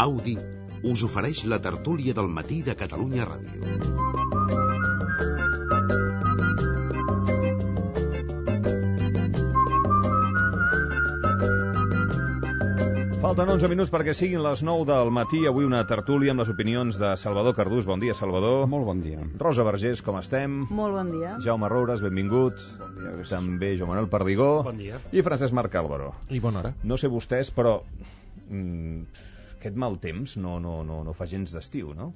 Audi us ofereix la tertúlia del matí de Catalunya Ràdio. Falten 11 minuts perquè siguin les 9 del matí. Avui una tertúlia amb les opinions de Salvador Cardús. Bon dia, Salvador. Molt bon dia. Rosa Vergés, com estem? Molt bon dia. Jaume Roures, benvingut. Bon dia, gràcies. També Joan Manuel Perdigó. Bon dia. I Francesc Marc Álvaro. I bona hora. No sé vostès, però aquest mal temps no fa gens d'estiu, no?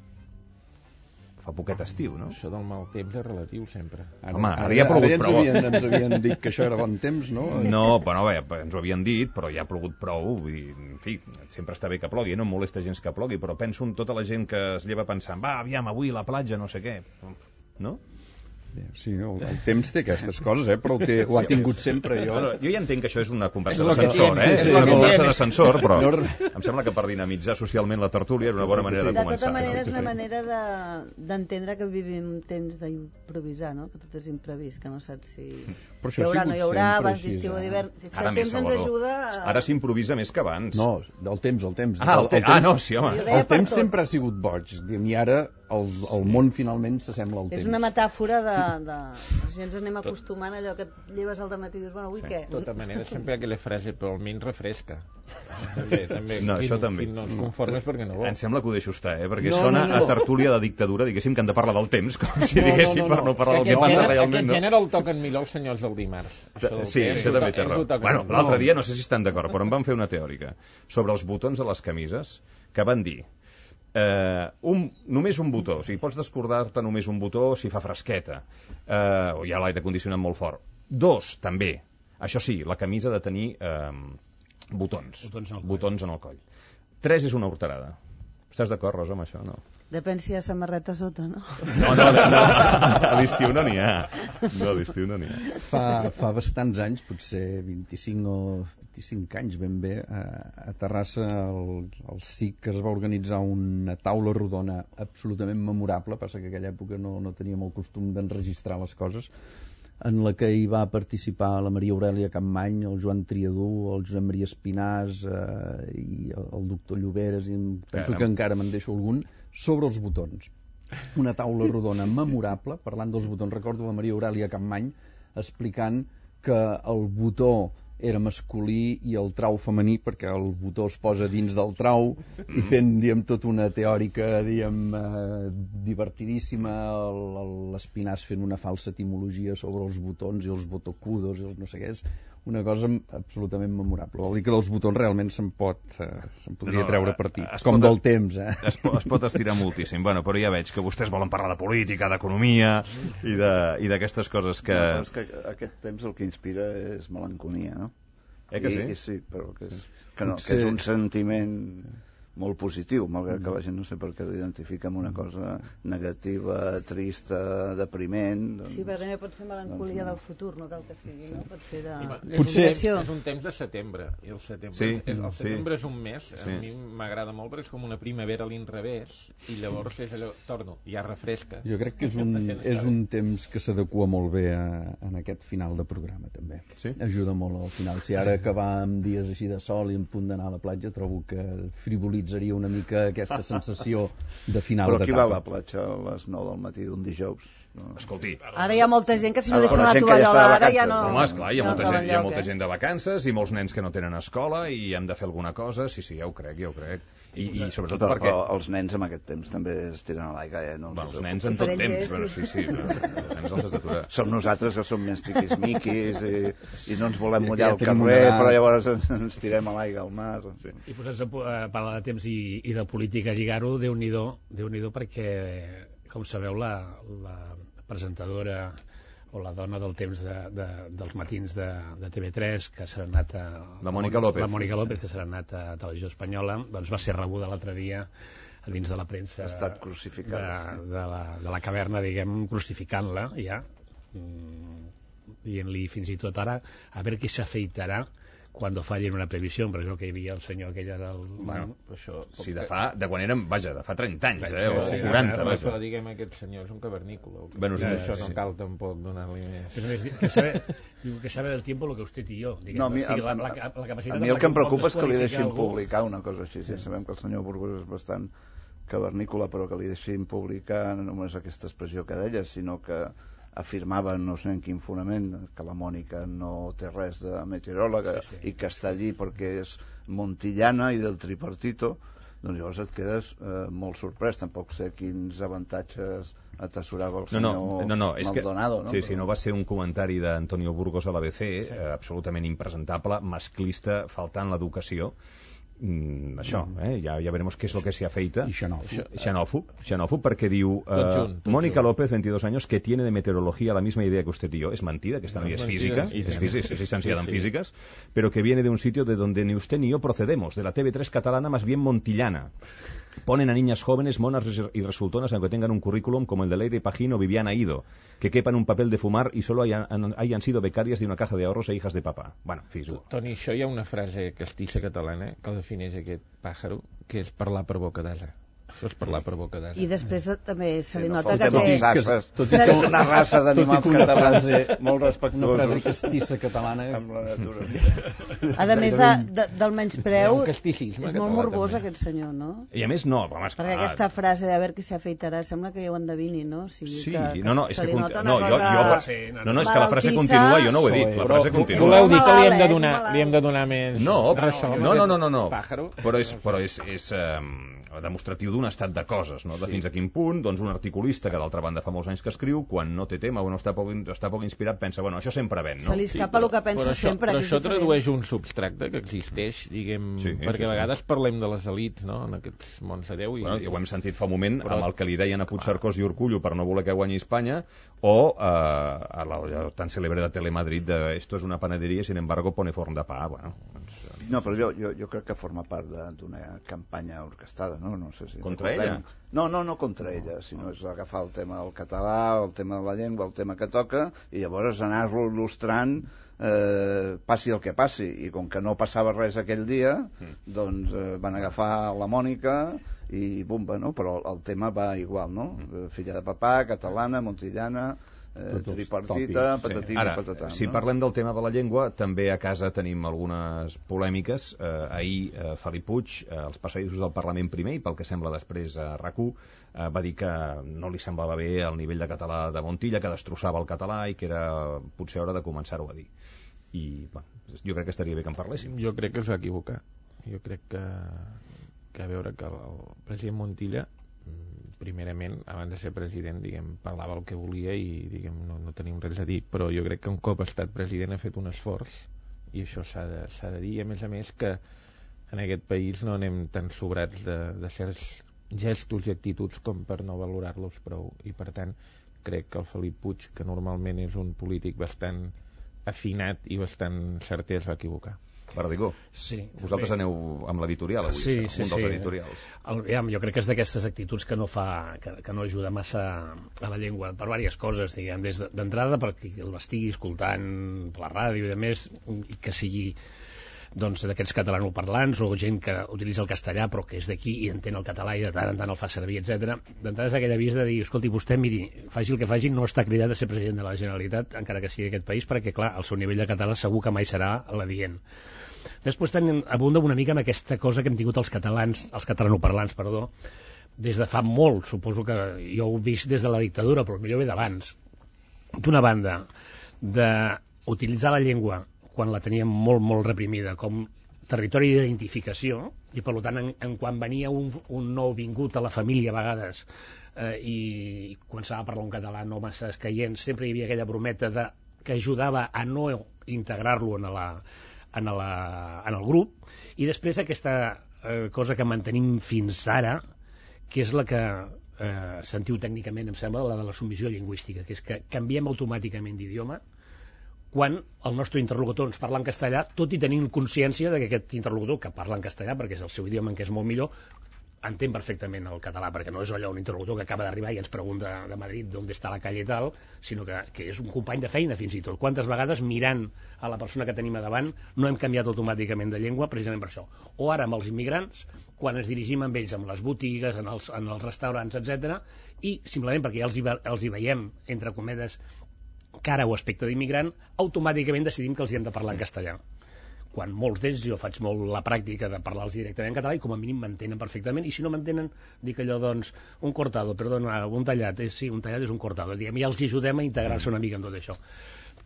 Fa poquet estiu, no? Això del mal temps és relatiu, sempre. Home, ara ja ha plogut prou. Ens havien dit que això era bon temps, no? No, bueno, bé, ens ho havien dit, però ja ha plogut prou. Vull dir, en fi, sempre està bé que plogui, no em molesta gens que plogui, però penso en tota la gent que es lleva pensant, va, aviam, avui a la platja, no sé què, no? Sí, el temps té aquestes coses, però ho ha tingut sempre. Jo ja entenc que això és una conversa És d'ascensor, és una que conversa d'ascensor, però em sembla que per dinamitzar socialment la tertúlia era una bona manera de De començar. tota manera, és una manera d'entendre que vivim un temps d'improvisar, no? Que tot és imprevist, que no saps si hi haurà, no hi haurà, abans d'estiu o d'hivern. Si el temps ens ajuda... Ara s'improvisa més que abans. No, del temps. No, sí, home. El temps sempre ha sigut boig, i ara el món finalment s'assembla al temps. És una metàfora de... Si ens anem acostumant a allò que et lleves al dematí i dius, bueno, avui què? De tota manera, sempre aquella frase, però almenys refresca. També. No, això també. No et conformes perquè no vol. Em sembla que ho deixo estar, perquè sona a tertúlia de dictadura, diguéssim, que han de parlar del temps, com si diguéssim, per no parlar del que passa realment. Aquest gènere el toquen millor els senyors del dimarts. Sí, això també té raó. Bueno, l'altre dia, no sé si estan d'acord, però em van fer una teòrica sobre els botons de les camises, que van dir només un botó, o sigui, pots descordar-te només un botó si fa fresqueta, o hi ha l'aire condicionat molt fort. 2, també, això sí, la camisa ha de tenir botons en el coll. 3 és una horterada. Estàs d'acord, Rosa, amb això? No. Depèn si hi ha samarreta sota, no? No, a l'estiu no n'hi ha. No, a l'estiu no n'hi ha. Fa bastants anys, potser 25 o 25 anys ben bé, a Terrassa al SIC es va organitzar una taula rodona absolutament memorable, passa que en aquella època no teníem el costum d'enregistrar les coses, en la que hi va participar la Maria Aurèlia Campmany, el Joan Triadú, el Josep Maria Espinàs i el doctor Lloberes, i penso que encara me'n deixo algun, sobre els botons. Una taula rodona memorable, parlant dels botons. Recordo la Maria Aurèlia Campmany explicant que el botó era masculí i el trau femení, perquè el botó es posa dins del trau, i fent, tota una teòrica, divertidíssima, l'Espinàs fent una falsa etimologia sobre els botons i els botocudos i els no sé què. És una cosa absolutament memorable. Vol dir que dels botons realment se'n podria treure partit, com del temps. Es pot estirar moltíssim. Bueno, però ja veig que vostès volen parlar de política, d'economia i d'aquestes coses que... No, és que aquest temps el que inspira és melanconia, no? Que sí? Sí, però que és un sentiment molt positiu, malgrat que la gent no sé per què l'identifica amb una cosa negativa, trista, depriment. Sí, però també pot ser melancolia del futur, no cal que sigui, no? Pot ser de... És un temps de setembre, i el setembre és un mes, sí. A mi m'agrada molt perquè és com una primavera a l'inrevés, i llavors és allò, torno, ja refresca. Jo crec que és un temps que s'adequa molt bé en aquest final de programa, també. Sí? Ajuda molt al final. Si ara acabar amb dies així de sol i en punt d'anar a la platja, trobo que frivolitzaria una mica aquesta sensació de final d'etapa. Però qui va a la platja a les 9 del matí d'un dijous? No. Escolti. Ara hi ha molta gent que si no deixen la tovallola, ara ja no... Home, esclar, hi ha molta gent de vacances i molts nens que no tenen escola i hem de fer alguna cosa. Sí, ja ho crec. I sobretot perquè... els nens en aquest temps també es tiren a l'aigua, no? Els nens en tot temps, però sí. Els nens els has d'aturar. Som nosaltres que som més tiquismiquis i no ens volem mullar al carrer, però llavors ens tirem a l'aigua al mar. Sí. I posats a parlar de temps i de política, lligar-ho, Déu-n'hi-do, perquè, com sabeu, la presentadora o la dona del temps dels matins de TV3, que s'ha anat a... La Mònica López. La Mònica López, que s'ha anat a Televisió Espanyola, doncs va ser rebuda l'altre dia dins de la premsa... Ha estat crucificada. De la caverna, diguem, crucificant-la, ja, dient-li fins i tot ara a veure qui s'afeitarà cuando fallen una previsión, però que hi havia el senyor aquell del... Bueno, això... Sí, de quan érem, vaja, de fa 30 anys, o 40, vaja. Però diguem, aquest senyor és un cavernícola. Bueno, això no cal tampoc donar-li més... Que sabe del tiempo lo que usted y yo. No, a mi el que em preocupa és que li deixin publicar una cosa així. Sabem que el senyor Burgos és bastant cavernícola, però que li deixin publicar no només aquesta expressió que deia, sinó que afirmava, no sé en quin fonament, que la Mònica no té res de meteoròloga i que està allí perquè és montillana i del tripartito, doncs llavors et quedes molt sorprès. Tampoc sé quins avantatges atessorava el senyor Maldonado. Sí, no va ser un comentari d'Antonio Burgos a l'ABC, absolutament impresentable, masclista, faltant l'educació. Això, ya veremos qué es lo que se afeita. Y xenòfob, perquè diu Mónica López, 22 años, que tiene de meteorología la misma idea que usted y yo. Es mentira, que esta no es física, es licenciada en físicas, pero que viene de un sitio de donde ni usted ni yo procedemos, de la TV3 catalana, más bien montillana. Ponen a niñas jóvenes, monas y resultonas, aunque tengan un currículum como el de Leire Pajín o Viviana Ido, que quepan un papel de fumar y solo hayan sido becarias de una caja de ahorros e hijas de papá. Bueno, fis-ho. Toni, això hi ha una frase castissa catalana que defineix aquest pàjaro, que és parlar per boca d'ase. Això és parlar per boca d'ase. I després també se li nota que té una raça d'animals catalans molt respectuosos. Una frase castissa catalana amb la natura. A més del menyspreu, és molt morbós aquest senyor, no? I a més no, perquè aquesta frase de ver que se afeitarà sembla que ja ho endevini, no? Sí, és que la frase continua, jo no ho he dit, la frase continua. Voleu dir que li hem de donar més ressò? No, però és demostratiu d'un estat de coses, no? De fins a quin punt, doncs un articulista que d'altra banda fa molts anys que escriu, quan no té tema o no està poc inspirat, pensa, bueno, això sempre ven, no? Se li escapa el que pensa sempre. Però això tradueix un substracte que existeix, diguem, perquè a vegades parlem de les elits, no?, en aquests mons de Déu. Ja ho hem sentit fa un moment amb el que li deien a Puigcercós i Urkullu per no voler que guanyi Espanya, o a la tan celebre de Telemadrid de esto es una panadería, sin embargo pone forn de pa. Bueno, no, però jo crec que forma part d'una campanya orquestada, no sé si... Contra ella? No contra ella, sinó és agafar el tema del català, el tema de la llengua, el tema que toca, i llavors anar-lo il·lustrant passi el que passi. I com que no passava res aquell dia, doncs van agafar la Mònica i bumba, no? Però el tema va igual, no? Filla de papà, catalana, montillana... tripartita, patatina, Ara, patatà. Si parlem del tema de la llengua, també a casa tenim algunes polèmiques. Ahir Felip Puig, als passadissos del Parlament primer, i pel que sembla després a RAC1, va dir que no li semblava bé el nivell de català de Montilla, que destrossava el català i que era potser hora de començar-ho a dir. I jo crec que estaria bé que en parléssim. Jo crec que es va equivocar. Jo crec que a veure que el president Montilla, primerament, abans de ser president, diguem, parlava el que volia i, diguem, no tenim res a dir, però jo crec que un cop ha estat president ha fet un esforç, i això s'ha de dir, i a més que en aquest país no anem tan sobrats de certs gestos i actituds com per no valorar-los prou, i per tant crec que el Felip Puig, que normalment és un polític bastant afinat i bastant certer, es va equivocar. Verdigó, vosaltres aneu amb l'editorial avui, un dels editorials. Jo crec que és d'aquestes actituds que no ajuda massa a la llengua, per diverses coses, diguem, d'entrada perquè l'estigui escoltant per la ràdio i més, i que sigui doncs d'aquests catalanoparlants o gent que utilitza el castellà però que és d'aquí i entén el català i de tant en tant el fa servir, etc. D'entrada és aquell avís de dir, escolti, vostè, miri, faci el que faci, no està cridat a ser president de la Generalitat, encara que sigui aquest país, perquè, clar, el seu nivell de català segur que mai serà l'adient. Després abunda una mica amb aquesta cosa que hem tingut els catalanoparlants, des de fa molt, suposo que jo ho he vist des de la dictadura, però millor ve d'abans. D'una banda, d'utilitzar la llengua quan la teníem molt, molt reprimida, com territori d'identificació, i per tant, quan venia un nou vingut a la família a vegades i començava a parlar un català no massa escaient, sempre hi havia aquella brometa que ajudava a no integrar-lo en el grup, i després aquesta cosa que mantenim fins ara, que és la que sentiu tècnicament, em sembla, la de la submissió lingüística, que és que canviem automàticament d'idioma quan el nostre interlocutor ens parla en castellà, tot i tenint consciència que aquest interlocutor, que parla en castellà perquè és el seu idioma en què és molt millor, entén perfectament el català, perquè no és allò un interlocutor que acaba d'arribar i ens pregunta de Madrid d'on està la calle i tal, sinó que és un company de feina fins i tot. Quantes vegades mirant a la persona que tenim a davant no hem canviat automàticament de llengua precisament per això. O ara amb els immigrants, quan ens dirigim amb ells amb les botigues, en els restaurants, etc, i simplement perquè ja els hi veiem, entre cometes, cara o aspecte d'immigrant, automàticament decidim que els hi hem de parlar en castellà. Quan molts d'ells jo faig molt la pràctica de parlar-los directament en català i com a mínim m'entenen perfectament, i si no m'entenen dic allò, doncs, un cortado, perdona, un tallat, sí, un tallat és un cortado, diguem, i els ajudem a integrar-se una mica en tot això.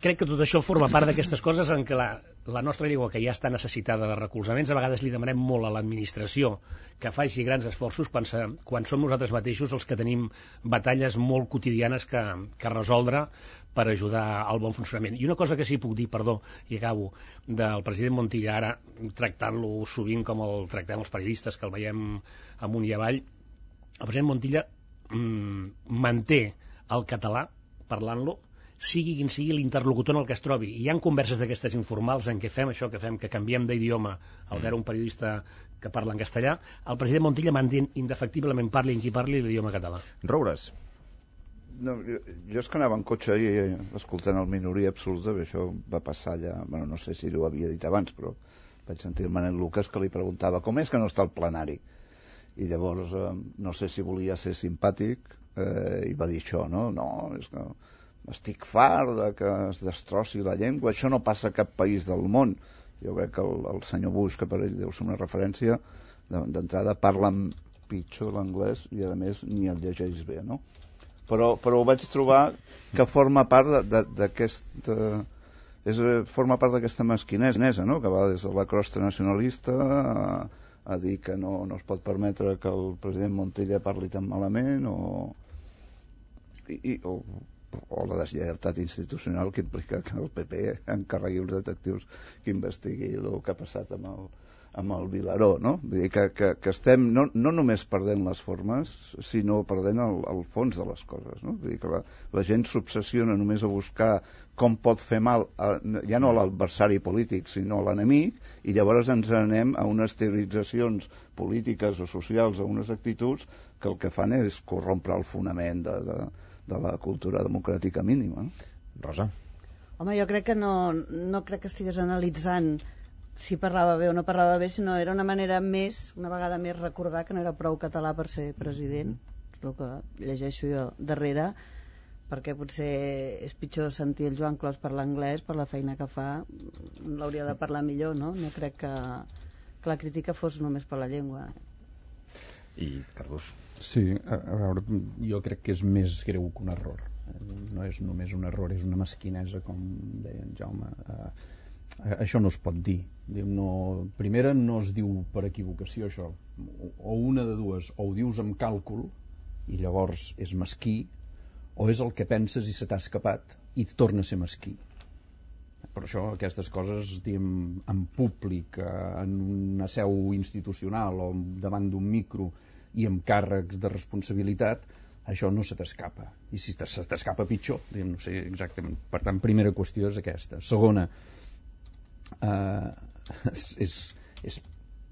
Crec que tot això forma part d'aquestes coses en què la nostra llengua, que ja està necessitada de recolzaments, a vegades li demanem molt a l'administració que faci grans esforços quan som nosaltres mateixos els que tenim batalles molt quotidianes que resoldre per ajudar al bon funcionament. I una cosa que sí puc dir, perdó, i acabo, del president Montilla, ara tractant-lo sovint com el tractem els periodistes, que el veiem amunt i avall, el president Montilla manté el català, parlant-lo, sigui quin sigui l'interlocutor en el que es trobi. I hi ha converses d'aquestes informals en què fem això, que canviem d'idioma al veure un periodista que parla en castellà. El president Montilla manté indefectiblement, parli en qui parli, l'idioma català. Roures. No, jo és que anava en cotxe i escoltant el Minoria Absoluta, això va passar allà, bueno, no sé si ho havia dit abans, però vaig sentir el Manel Lucas que li preguntava com és que no està al plenari, i llavors no sé si volia ser simpàtic i va dir això, no, és que estic fart de que es destrossi la llengua, això no passa a cap país del món. Jo crec que el senyor Bush, que per ell deu ser una referència, d'entrada parla pitjor l'anglès i a més ni el llegeix bé, no? Però ho vaig trobar que forma part d'aquesta forma part d'aquesta mesquinesa, no? Que va des de la crosta nacionalista a dir que no es pot permetre que el president Montilla parli tan malament o la deslleialtat institucional que implica que el PP encarregui els detectius que investigui el que ha passat amb el Vilaró, no? Vull dir que estem no només perdent les formes, sinó perdent el fons de les coses, no? Vull dir que la gent s'obsessiona només a buscar com pot fer mal, ja no a l'adversari polític, sinó a l'enemic, i llavors ens anem a unes teoritzacions polítiques o socials, a unes actituds que el que fan és corrompre el fonament de la cultura democràtica mínima. Rosa? Home, jo crec que no crec que estigués analitzant si parlava bé o no parlava bé, sinó era una manera més, una vegada més, recordar que no era prou català per ser president, és el que llegeixo jo darrere, perquè potser és pitjor sentir el Joan Clos parlar anglès per la feina que fa, l'hauria de parlar millor, no? No crec que la crítica fos només per la llengua. I Cardús? Sí, a veure, jo crec que és més greu que un error. No és només un error, és una mesquinesa, com deia en Jaume. Això no es pot dir. Primera, no es diu per equivocació, això. O una de dues, o ho dius amb càlcul, i llavors és mesquí, o és el que penses i se t'ha escapat, i torna a ser mesquí. Per això aquestes coses, diguem, en públic, en una seu institucional o davant d'un micro i amb càrrecs de responsabilitat, això no se t'escapa. I si se t'escapa pitjor, diguem, no sé exactament. Per tant, primera qüestió és aquesta. Segona, és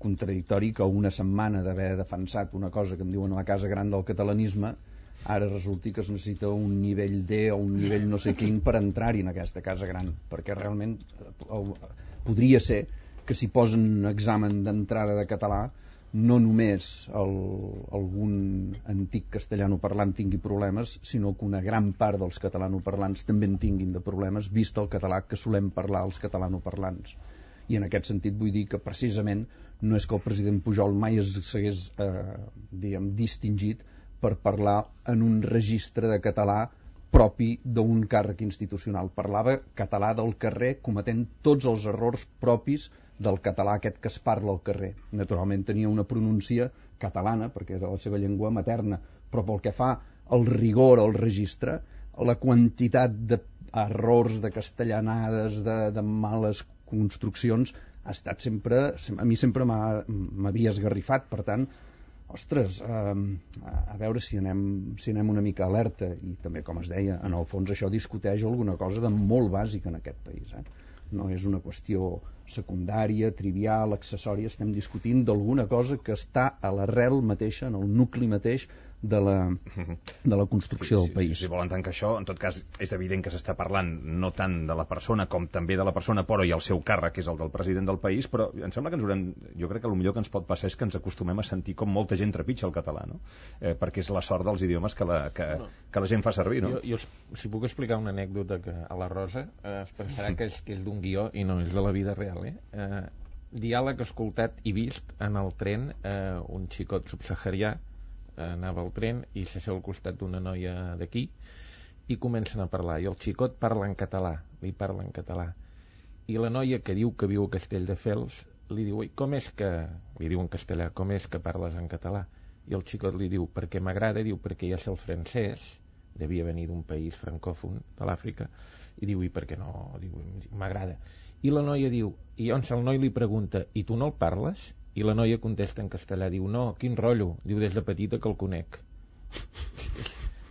contradictori que una setmana d'haver defensat una cosa que em diuen la casa gran del catalanisme, ara resulti que es necessita un nivell D o un nivell no sé quin per entrar-hi en aquesta casa gran, perquè realment podria ser que si posen examen d'entrada de català no només algun antic castellanoparlant tingui problemes, sinó que una gran part dels catalanoparlants també en tinguin de problemes, vist el català que solem parlar els catalanoparlants. I en aquest sentit vull dir que precisament no és que el president Pujol mai s'hagués distingit per parlar en un registre de català propi d'un càrrec institucional. Parlava català del carrer, cometent tots els errors propis del català aquest que es parla al carrer. Naturalment tenia una pronúncia catalana, perquè era la seva llengua materna, però pel que fa al rigor al registre, la quantitat d'errors, de castellanades, de males construccions, ha estat sempre, a mi sempre m'havia esgarrifat. Per tant, Ostres, a veure si anem una mica alerta, i també, com es deia, en el fons això discuteix alguna cosa de molt bàsica en aquest país. No és una qüestió secundària, trivial, accessòria, estem discutint d'alguna cosa que està a l'arrel mateixa, en el nucli mateix de la construcció del país. Si volen tancar això, en tot cas és evident que s'està parlant no tant de la persona com també de la persona, però i el seu càrrec, que és el del president del país, però em sembla que jo crec que el millor que ens pot passar és que ens acostumem a sentir com molta gent trepitja el català, no? Perquè és la sort dels idiomes que la gent fa servir, no? Jo si puc explicar una anècdota que a la Rosa es pensarà que és d'un guió i no és de la vida real, diàleg escoltat i vist en el tren, un xicot subsaharià anava al tren i s'asseu al costat d'una noia d'aquí i comencen a parlar, i el xicot parla en català, li parla en català, i la noia que diu que viu a Castelldefels li diu, com és que, li diu en castellà, com és que parles en català? I el xicot li diu, perquè m'agrada, diu, perquè ja sé el francès, devia venir d'un país francòfon de l'Àfrica, i diu, i per què no? Diu, m'agrada. I la noia diu, i llavors el noi li pregunta, i tu no el parles? I la noia contesta en castellà, diu, no, quin rotllo, diu, des de petita que el conec.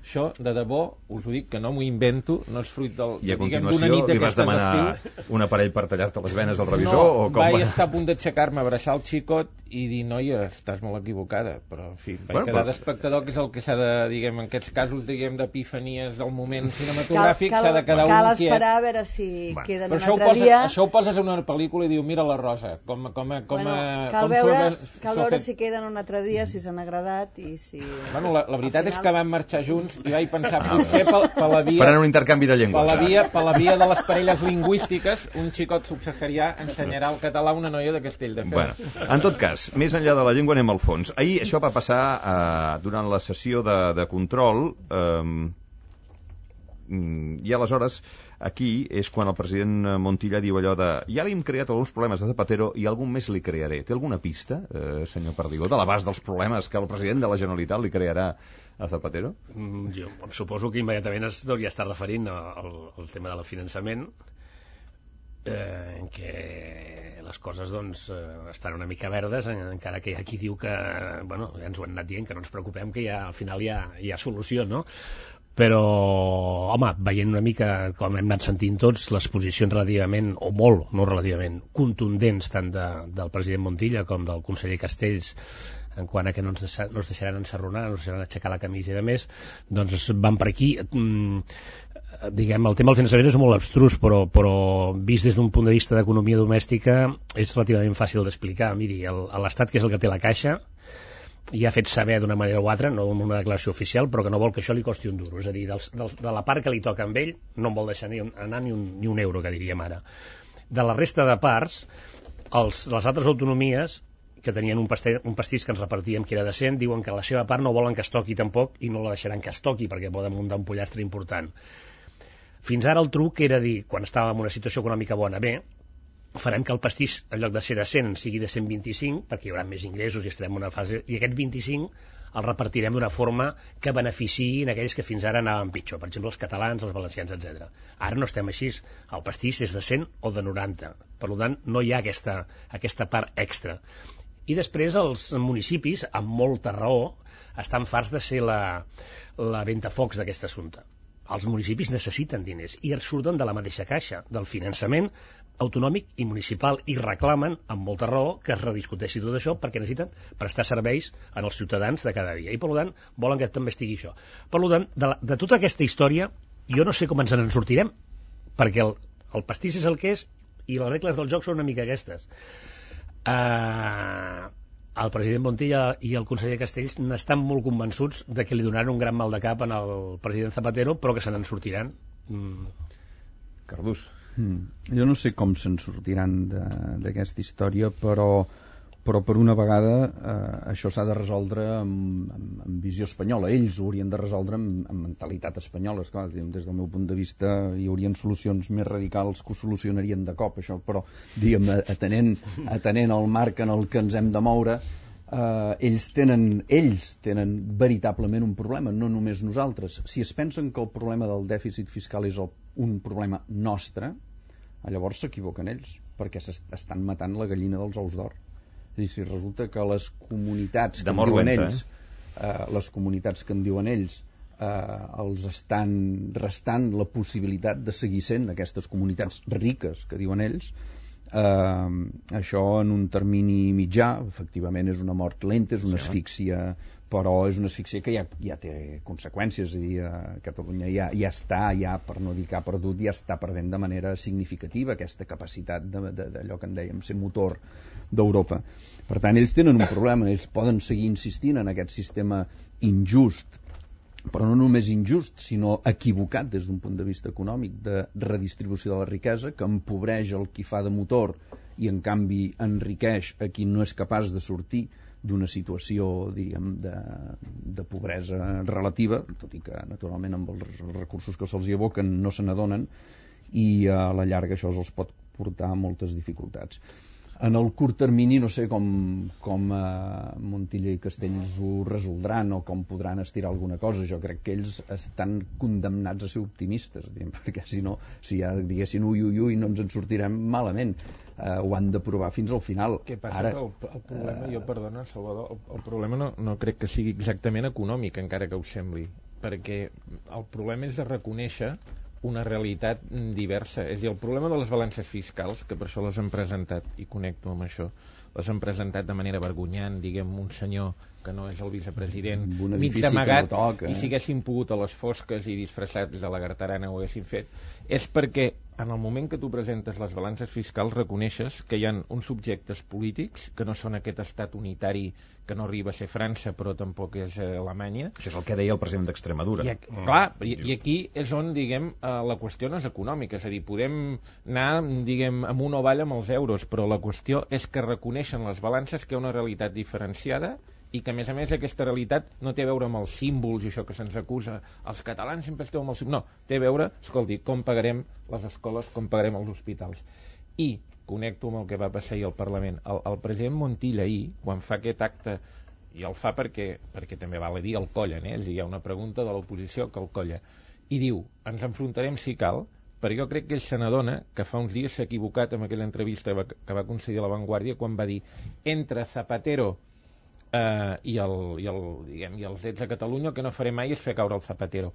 Això, de debò, us ho dic, que no m'ho invento, no és fruit del... I a continuació li vas demanar un aparell per tallar-te les venes al revisor? No, vaig estar a punt d'aixecar-me, abraçar el xicot i dir, noia, estàs molt equivocada, però, en fi, vaig quedar d'espectador, que és el que s'ha de, diguem, en aquests casos, diguem, d'epifanies del moment cinematogràfic, s'ha de quedar un quiet. Cal esperar a veure si queden un altre dia... Això ho poses en una pel·lícula i diu, mira la Rosa, cal veure si queden un altre dia, si s'han agradat i si... Bueno, la veritat és que vam marxar junts i vaig pensar, potser per la via... Faran un intercanvi de llengües. Per la via de les parelles lingüístiques, un xicot subsaharià ensenyarà el català a una noia de Castelldefels. Bueno, en tot cas, més enllà de la llengua anem al fons. Ahir això va passar durant la sessió de control i aleshores aquí és quan el president Montilla diu allò de ja li hem creat alguns problemes de Zapatero i algun més li crearé. Té alguna pista, senyor Perdigó, de l'abast dels problemes que el president de la Generalitat li crearà a Zapatero? Jo suposo que immediatament es hauria estar referint al tema del finançament, en què les coses doncs estan una mica verdes, encara que hi ha qui diu que bueno, ja ens ho han anat dient, que no ens preocupem, que al final hi ha solució, no? Però, home, veient una mica com hem anat sentint tots les posicions relativament, o molt, no relativament, contundents tant del president Montilla com del conseller Castells en quant a que no ens deixaran ensarronar, no ens deixaran aixecar la camisa i de més, doncs van per aquí. Diguem, el tema del finançament és molt abstrus, però vist des d'un punt de vista d'economia domèstica és relativament fàcil d'explicar. Miri, l'Estat, que és el que té la caixa, i ha fet saber d'una manera o altra, no en una declaració oficial, però que no vol que això li costi un duro. És a dir, de la part que li toca amb ell no en vol deixar anar ni un euro, que diríem ara. De la resta de parts, les altres autonomies que tenien un pastís que ens repartíem que era decent, diuen que la seva part no volen que es toqui tampoc i no la deixaran que es toqui perquè poden muntar un pollastre important. Fins ara el truc era dir, quan estàvem en una situació econòmica bona, bé, farem que el pastís, en lloc de ser de 100, sigui de 125, perquè hi haurà més ingressos i estarem en una fase... I aquest 25 el repartirem d'una forma que beneficiï en aquells que fins ara anaven pitjor. Per exemple, els catalans, els valencians, etc. Ara no estem així. El pastís és de 100 o de 90. Per tant, no hi ha aquesta part extra. I després els municipis, amb molta raó, estan farts de ser la ventafocs d'aquest assumpte. Els municipis necessiten diners i surten de la mateixa caixa, del finançament autonòmic i municipal, i reclamen, amb molta raó, que es rediscuteixi tot això perquè necessiten prestar serveis als ciutadans de cada dia. I, per tant, volen que també estigui això. Per tant, de tota aquesta història, jo no sé com ens en sortirem, perquè el pastís és el que és i les regles del joc són una mica aquestes. El president Montilla i el conseller Castells n'estan molt convençuts de que li donaran un gran mal de cap al president Zapatero, però que se n'en sortiran. Cardús. Jo no sé com se'n sortiran d'aquesta història, però per una vegada això s'ha de resoldre amb visió espanyola. Ells ho haurien de resoldre amb mentalitat espanyola. Esclar, des del meu punt de vista hi haurien solucions més radicals que ho solucionarien de cop, això, però diguem, atenent al marc en el que ens hem de moure, ells tenen veritablement un problema, no només nosaltres. Si es pensen que el problema del dèficit fiscal és un problema nostre, llavors s'equivoquen ells, perquè estan matant la gallina dels ous d'or. Si resulta que les comunitats que en diuen ells, les comunitats que en diuen ells els estan restant la possibilitat de seguir sent aquestes comunitats riques que diuen ells, això en un termini mitjà efectivament és una mort lenta, és una asfíxia, però és una asfíxia que ja té conseqüències. És a dir, a Catalunya ja està, per no dir que ha perdut, ja està perdent de manera significativa aquesta capacitat d'allò que en dèiem ser motor d'Europa. Per tant, ells tenen un problema, ells poden seguir insistint en aquest sistema injust, però no només injust, sinó equivocat des d'un punt de vista econòmic, de redistribució de la riquesa, que empobreix el qui fa de motor i en canvi enriqueix a qui no és capaç de sortir d'una situació, diguem, de pobresa relativa, tot i que naturalment amb els recursos que se'ls hi aboquen no se n'adonen, i a la llarga això els pot portar a moltes dificultats. En el curt termini no sé com Montilla i Castells ho resoldran o com podran estirar alguna cosa. Jo crec que ells estan condemnats a ser optimistes, perquè si no, si ja diguessin ui, no ens en sortirem malament. Ho han de provar fins al final. Què passa? Ara, el problema, perdona, Salvador, el problema no crec que sigui exactament econòmic, encara que us sembli, perquè el problema és de reconèixer una realitat diversa. És a dir, el problema de les balances fiscals, que per això les han presentat, i connecto amb això, les han presentat de manera vergonyant, diguem, un senyor que no és el vicepresident, mig amagat, i si haguessin pogut a les fosques i disfressats de la gartarana ho haguessin fet, és perquè en el moment que tu presentes les balances fiscals reconeixes que hi ha uns subjectes polítics que no són aquest estat unitari que no arriba a ser França però tampoc és Alemanya. Això és el que deia el president d'Extremadura. I aquí és on, diguem, la qüestió no és econòmica, és a dir, podem anar, diguem, amunt o avall amb els euros, però la qüestió és que reconeixen les balances que hi ha una realitat diferenciada i que, a més, aquesta realitat no té a veure amb els símbols i això que se'ns acusa. Els catalans sempre esteu amb els símbols. No, té a veure, escolti, com pagarem les escoles, com pagarem els hospitals. I connecto amb el que va passar ahir al Parlament. El president Montilla ahir, quan fa aquest acte, i el fa perquè també val a dir el collen, és a dir, hi ha una pregunta de l'oposició que el colla, i diu, ens enfrontarem si cal, perquè jo crec que ell se n'adona que fa uns dies s'ha equivocat amb aquella entrevista que va concedir a La Vanguardia quan va dir entre Zapatero i els Ets a Catalunya el que no faré mai és fer caure el Zapatero.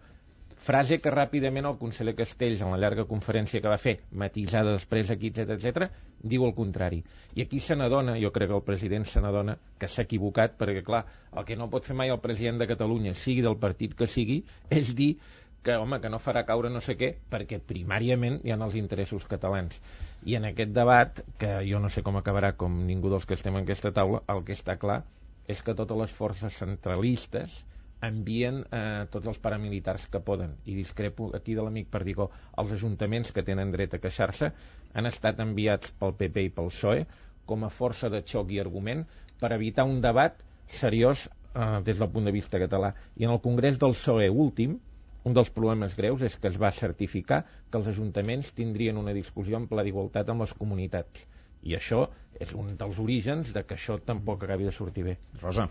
Frase que ràpidament el conseller Castells, en la llarga conferència que va fer, matisada després aquí, etc., diu el contrari. I aquí se n'adona, jo crec que el president se n'adona que s'ha equivocat, perquè clar, el que no pot fer mai el president de Catalunya, sigui del partit que sigui, és dir que, home, que no farà caure no sé què, perquè primàriament hi ha els interessos catalans. I en aquest debat, que jo no sé com acabarà, com ningú dels que estem en aquesta taula, el que està clar és que totes les forces centralistes envien tots els paramilitars que poden, i discrepo aquí de l'amic Perdigó. Els ajuntaments que tenen dret a queixar-se han estat enviats pel PP i pel PSOE com a força de xoc i argument per evitar un debat seriós des del punt de vista català. I en el Congrés del PSOE últim, un dels problemes greus és que es va certificar que els ajuntaments tindrien una discussió en pla d'igualtat amb les comunitats. I això és un dels orígens de que això tampoc acabi de sortir bé. Rosa.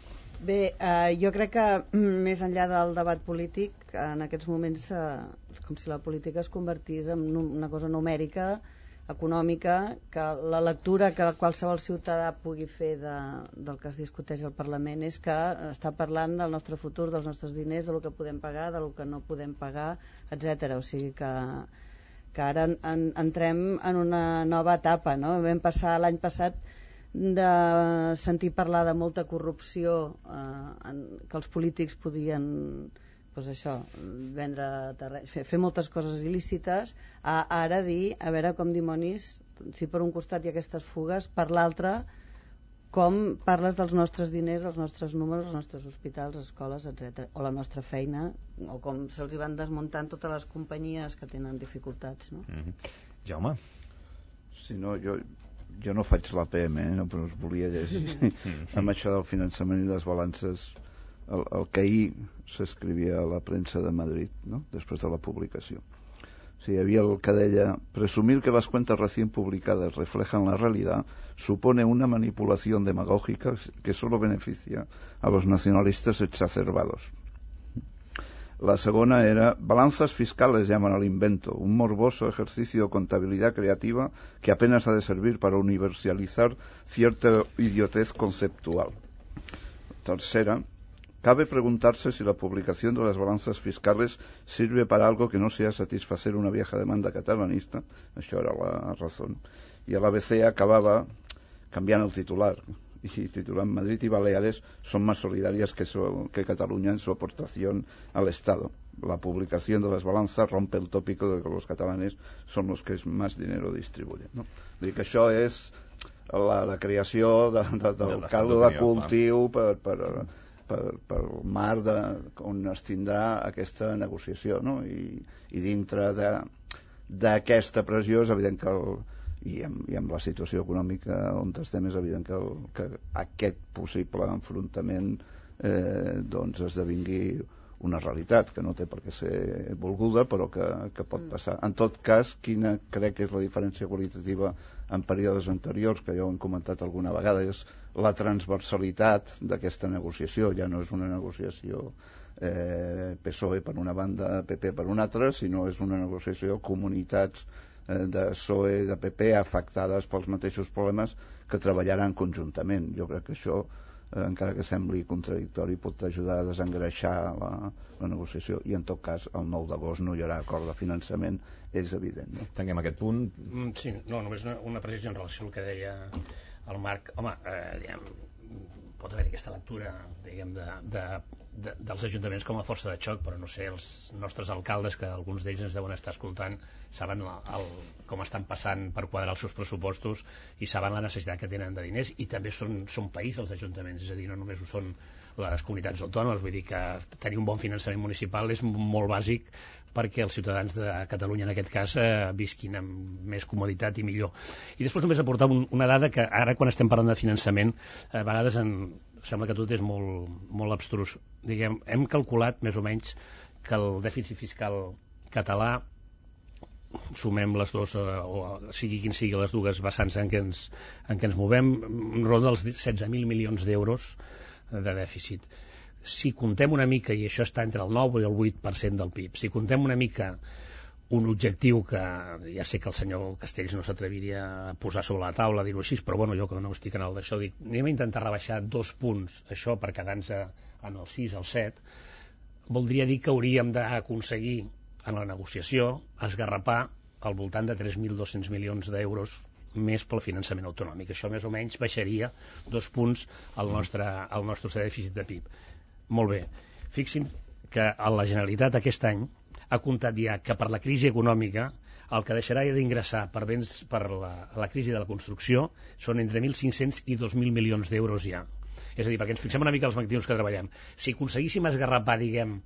Bé, jo crec que més enllà del debat polític, en aquests moments és com si la política es convertís en una cosa numèrica, econòmica, que la lectura que qualsevol ciutadà pugui fer del que es discuteix al Parlament és que està parlant del nostre futur, dels nostres diners, del que podem pagar, del que no podem pagar, etc. O sigui que ara entrem en una nova etapa, no? Vam passar l'any passat de sentir parlar de molta corrupció, que els polítics podien vendre terreny, fer moltes coses il·lícites, a ara dir, a veure com dimonis, si per un costat hi ha aquestes fugues, per l'altre com parles dels nostres diners, els nostres números, els nostres hospitals, escoles, etc. O la nostra feina, o com se'ls van desmuntant totes les companyies que tenen dificultats, no? Jaume? Sí, no, jo no faig l'APM, no, però us volia llegir amb això del finançament i les balances, el que ahir s'escrivia a la premsa de Madrid, ¿no? Després de la publicació. Sí, hi havia el que deia: presumir que las cuentas recién publicadas reflejan la realidad supone una manipulación demagógica que solo beneficia a los nacionalistas exacerbados. La segona era balanzas fiscales, llaman al invento, un morboso ejercicio de contabilidad creativa que apenas ha de servir para universalizar cierta idiotez conceptual. Tercera, cabe preguntarse si la publicación de las balanzas fiscales sirve para algo que no sea satisfacer una vieja demanda catalanista. Això era la razón. Y el ABC acababa cambiando el titular y titulan Madrid y Baleares son más solidarias que Cataluña en su aportación al Estado. La publicación de las balanzas rompe el tópico de que los catalanes son los que más dinero distribuyen, no? Vull dir que això és la creació del caldo de cultiu per mar on es tindrà aquesta negociació, no? I dintre d'aquesta pressió és evident que i amb la situació econòmica on estem és evident que aquest possible enfrontament doncs esdevingui una realitat que no té per què ser volguda però que pot passar. En tot cas, quina crec que és la diferència qualitativa en períodes anteriors, que ja ho hem comentat alguna vegada, és la transversalitat d'aquesta negociació. Ja no és una negociació PSOE per una banda, PP per una altra, sinó és una negociació comunitats de PSOE i de PP afectades pels mateixos problemes que treballaran conjuntament. Jo crec que això, encara que sembli contradictori, pot ajudar a desengreixar la negociació i en tot cas el 9 d'agost no hi haurà acord de finançament, és evident, no? Tanquem aquest punt. Sí, no, només una precisió en relació al que deia el Marc. Home, pot haver aquesta lectura, diguem, dels ajuntaments com a força de xoc, però no sé, els nostres alcaldes, que alguns d'ells ens deuen estar escoltant, saben com estan passant per quadrar els seus pressupostos i saben la necessitat que tenen de diners, i també són país els ajuntaments, és a dir, no només ho són les comunitats autònomes. Vull dir que tenir un bon finançament municipal és molt bàsic perquè els ciutadans de Catalunya, en aquest cas, visquin amb més comoditat i millor. I després només aportar una dada que ara, quan estem parlant de finançament, a vegades sembla que tot és molt abstrus. Diguem, hem calculat més o menys que el dèficit fiscal català, sumem les dues, o sigui quin sigui les dues vessants en què ens movem, ronda els 16.000 milions d'euros de dèficit. Si contem una mica, i això està entre el 9 i el 8% del PIB, si contem una mica un objectiu que ja sé que el senyor Castells no s'atreviria a posar sobre la taula, a dir-ho així, però bueno, jo que no estic en el d'això, dic, anem a intentar rebaixar 2 punts, això per quedar-nos en el 6, el 7, voldria dir que hauríem d'aconseguir en la negociació esgarrapar al voltant de 3.200 milions d'euros més pel finançament autonòmic. Això més o menys baixaria 2 punts al nostre dèficit de PIB. Molt bé. Fixin que la Generalitat aquest any ha comptat ja que per la crisi econòmica el que deixarà d'ingressar per la crisi de la construcció són entre 1.500 i 2.000 milions d'euros ja. És a dir, perquè ens fixem una mica els magnituds que treballem. Si aconseguíssim esgarrapar, diguem,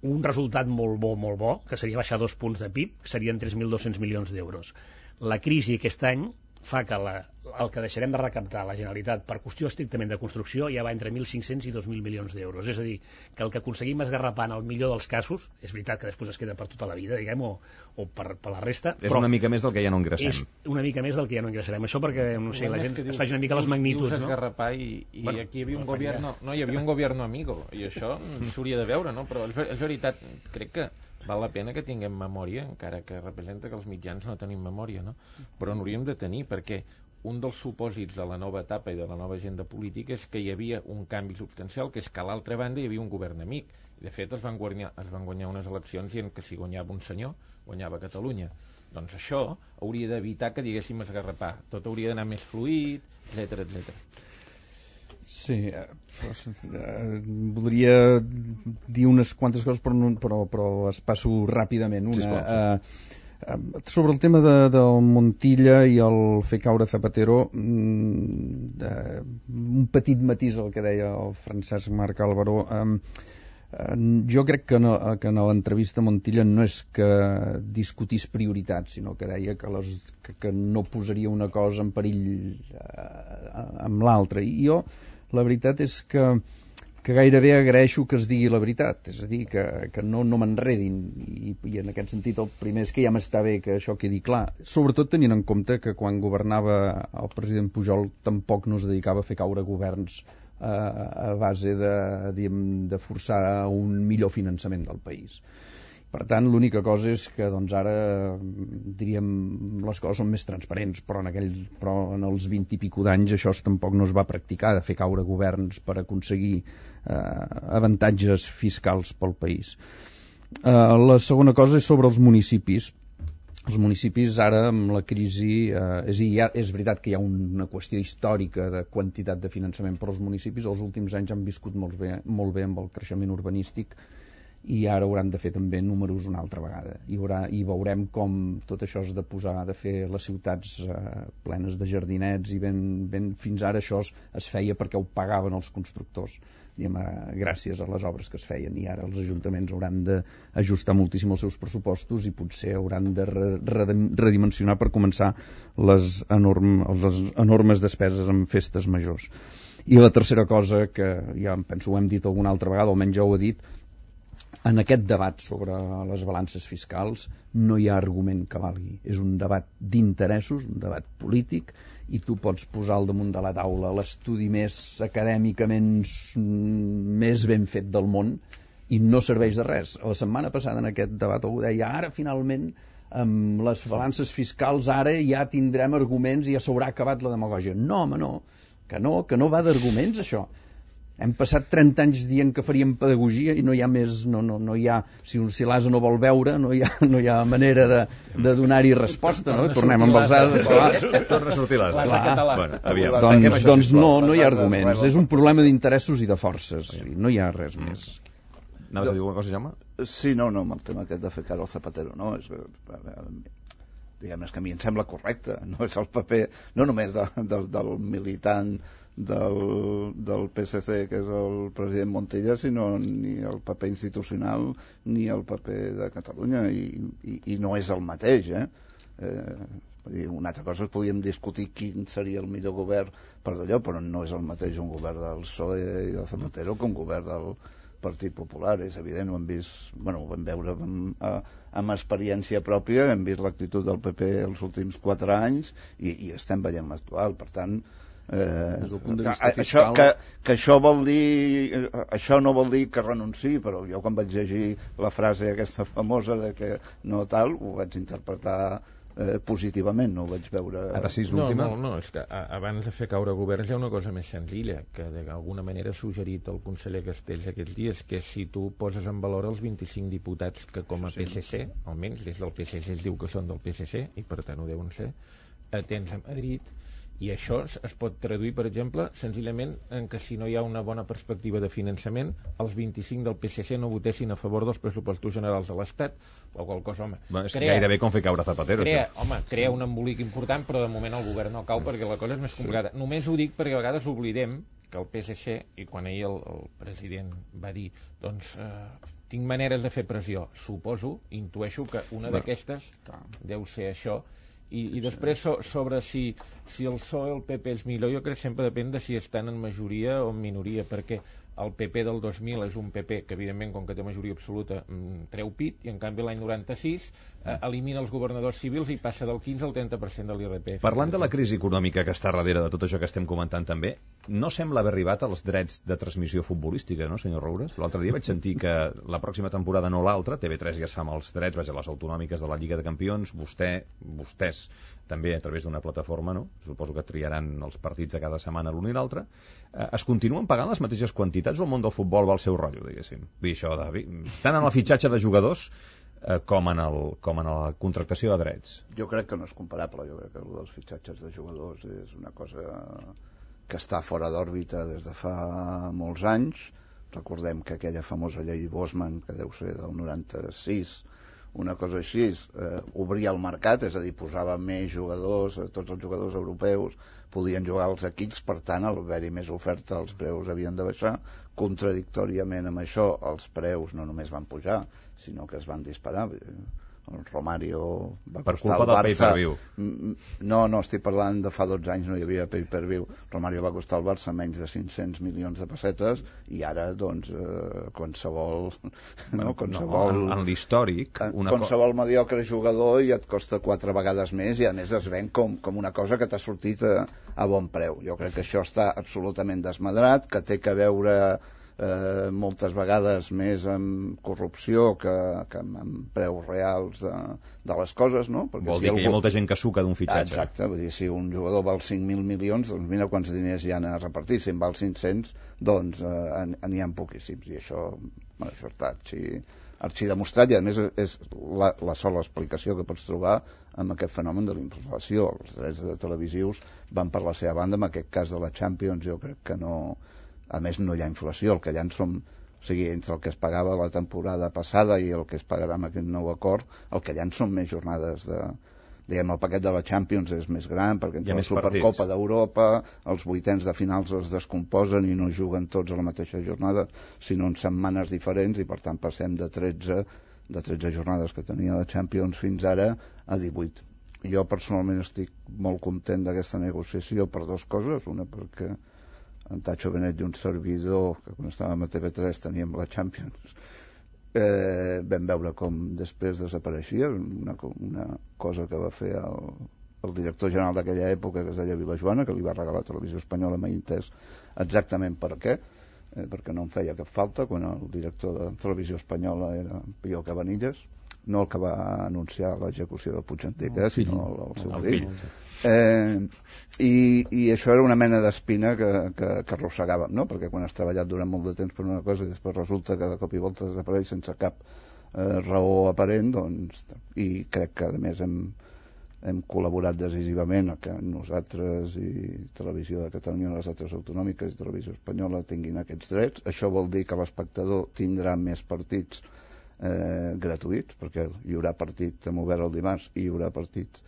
un resultat molt bo, que seria baixar 2 punts de PIB, serien 3.200 milions d'euros. La crisi aquest any fa que el que deixarem de recaptar la Generalitat per qüestió estrictament de construcció ja va entre 1.500 i 2.000 milions d'euros. És a dir, que el que aconseguim esgarrapar en el millor dels casos, és veritat que després es queda per tota la vida, diguem, o per la resta, és una mica més del que ja no ingressem. És una mica més del que ja no ingressarem. Això perquè, no sé, la gent es faci una mica les magnituds, no? Esgarrapar i bueno, aquí hi havia un gobierno, hi havia un gobierno amigo, i això s'hauria de veure, no? Però és veritat, crec que val la pena que tinguem memòria, encara que representa que els mitjans no tenim memòria, no? Però n'hauríem de tenir, perquè un dels supòsits de la nova etapa i de la nova agenda política és que hi havia un canvi substancial, que és que a l'altra banda hi havia un govern amic. De fet, es van guanyar unes eleccions dient que si guanyava un senyor, guanyava Catalunya. Doncs això hauria d'evitar que diguéssim esgarrapar. Tot hauria d'anar més fluid, etc etc. Sí, voldria dir unes quantes coses, però es passo ràpidament. Sobre el tema del Montilla i el fer caure Zapatero, un petit matís al que deia el Francesc Marc Álvaro. Jo crec que en l'entrevista Montilla no és que discutís prioritats, sinó que deia que no posaria una cosa en perill amb l'altra. I jo, la veritat és que gairebé agraeixo que es digui la veritat, és a dir, que no m'enredin, i en aquest sentit el primer és que ja m'està bé que això quedi clar, sobretot tenint en compte que quan governava el president Pujol tampoc no es dedicava a fer caure governs a base de forçar un millor finançament del país. Per tant, l'única cosa és que doncs, ara, diríem, les coses són més transparents, però en els 20 i pico d'anys això tampoc no es va practicar, de fer caure governs per aconseguir avantatges fiscals pel país. La segona cosa és sobre els municipis. Els municipis ara, amb la crisi, és veritat que hi ha una qüestió històrica de quantitat de finançament, però els municipis els últims anys han viscut molt bé amb el creixement urbanístic, i ara hauran de fer també números una altra vegada, i veurem com tot això de fer les ciutats plenes de jardinets, i fins ara això es feia perquè ho pagaven els constructors, gràcies a les obres que es feien, i ara els ajuntaments hauran d'ajustar moltíssim els seus pressupostos i potser hauran de redimensionar per començar les enormes despeses en festes majors. I la tercera cosa, que ja penso ho hem dit alguna altra vegada, almenys ja ho he dit, en aquest debat sobre les balances fiscals no hi ha argument que valgui. És un debat d'interessos, un debat polític, i tu pots posar al damunt de la taula l'estudi més acadèmicament més ben fet del món i no serveix de res. La setmana passada en aquest debat algú deia ara finalment amb les balances fiscals ara ja tindrem arguments i ja s'haurà acabat la demagògia. No, home, no, que no va d'arguments això. Hem passat 30 anys dient que faríem pedagogia i no hi ha més, no hi ha, si l'ase no vol veure, no hi ha manera de donar-hi resposta, no? Tornem amb els ases. Torna a sortir l'ase. Doncs no hi ha arguments. És un problema d'interessos i de forces. No hi ha res més. Anaves a dir alguna cosa, Jaume? Sí, no, amb el tema aquest de fer cara al Zapatero, no? Diguem, és que a mi em sembla correcte. No és el paper, no només del militant del PSC, que és el president Montilla, sinó ni el paper institucional ni el paper de Catalunya, i no és el mateix, una altra cosa es podíem discutir quin seria el millor govern per d'allò, però no és el mateix un govern del PSOE i del Zapatero que un govern del Partit Popular. És evident, ho vam veure amb experiència pròpia, hem vist l'actitud del PP els últims 4 anys i estem veient l'actual. Per tant, això vol dir, això no vol dir que renunciï, però jo quan vaig llegir la frase aquesta famosa de que no tal, ho vaig interpretar positivament, no ho vaig veure. Ara sí, és l'última. No, és que abans de fer caure governs hi ha una cosa més senzilla, que d'alguna manera ha suggerit el conseller Castells aquests dies, que si tu poses en valor els 25 diputats que com a PSC, almenys des del PSC es diu que són del PSC, i per tant ho deuen ser, tens a Madrid. I això es pot traduir, per exemple, senzillament en que si no hi ha una bona perspectiva de finançament, els 25 del PSC no votessin a favor dels pressupostos generals de l'Estat, o qual cosa, home. És gairebé com fer caure Zapatero. Crea un embolic important, però de moment el govern no cau perquè la cosa és més complicada. Només ho dic perquè a vegades oblidem que el PSC, i quan ahir el president va dir, doncs, tinc maneres de fer pressió, intueixo que una d'aquestes deu ser això. I després sobre si el PSOE o el PP és millor, jo crec que sempre depèn de si estan en majoria o en minoria, perquè el PP del 2000 és un PP que evidentment com que té majoria absoluta treu pit, i en canvi l'any 96 elimina els governadors civils i passa del 15 al 30% de l'IRPF. Parlant de la crisi econòmica que està darrere de tot això que estem comentant també, no sembla haver arribat als drets de transmissió futbolística, no, senyor Roures? L'altre dia vaig sentir que la pròxima temporada, no l'altra, TV3 ja es fa amb els drets, les autonòmiques de la Lliga de Campions, vostès també a través d'una plataforma, no? Suposo que triaran els partits de cada setmana l'un i l'altre. Es continuen pagant les mateixes quantitats o el món del futbol va al seu rotllo, diguéssim? Vull dir això, tant en el fitxatge de jugadors com en la contractació de drets. Jo crec que no és comparable. Jo crec que el dels fitxatges de jugadors és una cosa que està fora d'òrbita des de fa molts anys. Recordem que aquella famosa llei Bosman, que deu ser del 96, una cosa així, obria el mercat, és a dir, posava més jugadors, tots els jugadors europeus podien jugar als equips, per tant, al haver-hi més oferta els preus havien de baixar. Contradictòriament amb això, els preus no només van pujar, sinó que es van disparar. Romario va per costar culpa al del Barça... pay-per-view. No, estic parlant de fa 12 anys, no hi havia pay-per-view. Romario va costar al Barça menys de 500 milions de pessetes i ara, doncs, qualsevol... En l'històric... Qualsevol mediocre jugador i et costa 4 vegades més i a més es ven com una cosa que t'ha sortit a bon preu. Jo crec que això està absolutament desmadrat, que té que veure... moltes vegades més amb corrupció que amb preus reals de les coses, no? Perquè vol dir que hi ha molta gent que suca d'un fitxatge. Exacte, vull dir, si un jugador val 5.000 milions, doncs mira quants diners hi ha a repartir. Si en val 500, doncs n'hi ha poquíssims, i això està arxidemostrat, i a més és la sola explicació que pots trobar amb aquest fenomen de la inflació. Els drets televisius van per la seva banda. En aquest cas de la Champions jo crec que no... A més, no hi ha inflació, el que hi ha són... O sigui, entre el que es pagava la temporada passada i el que es pagarà amb aquest nou acord, el que hi ha són més jornades de... Diguem, el paquet de la Champions és més gran, perquè entre la Supercopa d'Europa, els vuitens de finals es descomposen i no juguen tots a la mateixa jornada, sinó en setmanes diferents, i per tant passem de 13 jornades que tenia la Champions fins ara a 18. Jo personalment estic molt content d'aquesta negociació per dues coses. Una, perquè en Tacho Benet i un servidor, que quan estàvem a TV3 teníem la Champions, vam veure com després desapareixia, una cosa que va fer el director general d'aquella època, que es deia Vilajoana, que li va regalar a Televisió Espanyola, mai entès exactament per què, perquè no em feia cap falta, quan el director de Televisió Espanyola era Pío Cabanillas, no el que va anunciar l'execució del Puigdentí, sinó el seu fill. I això era una mena d'espina que arrossegàvem, no? Perquè quan has treballat durant molt de temps per una cosa i després resulta que de cop i volta desapareix sense cap raó aparent, doncs, i crec que a més hem col·laborat decisivament a que nosaltres i Televisió de Catalunya, les altres autonòmiques i Televisió Espanyola tinguin aquests drets. Això vol dir que l'espectador tindrà més partits gratuïts, perquè hi haurà partit amb obert el dimarts i hi haurà partit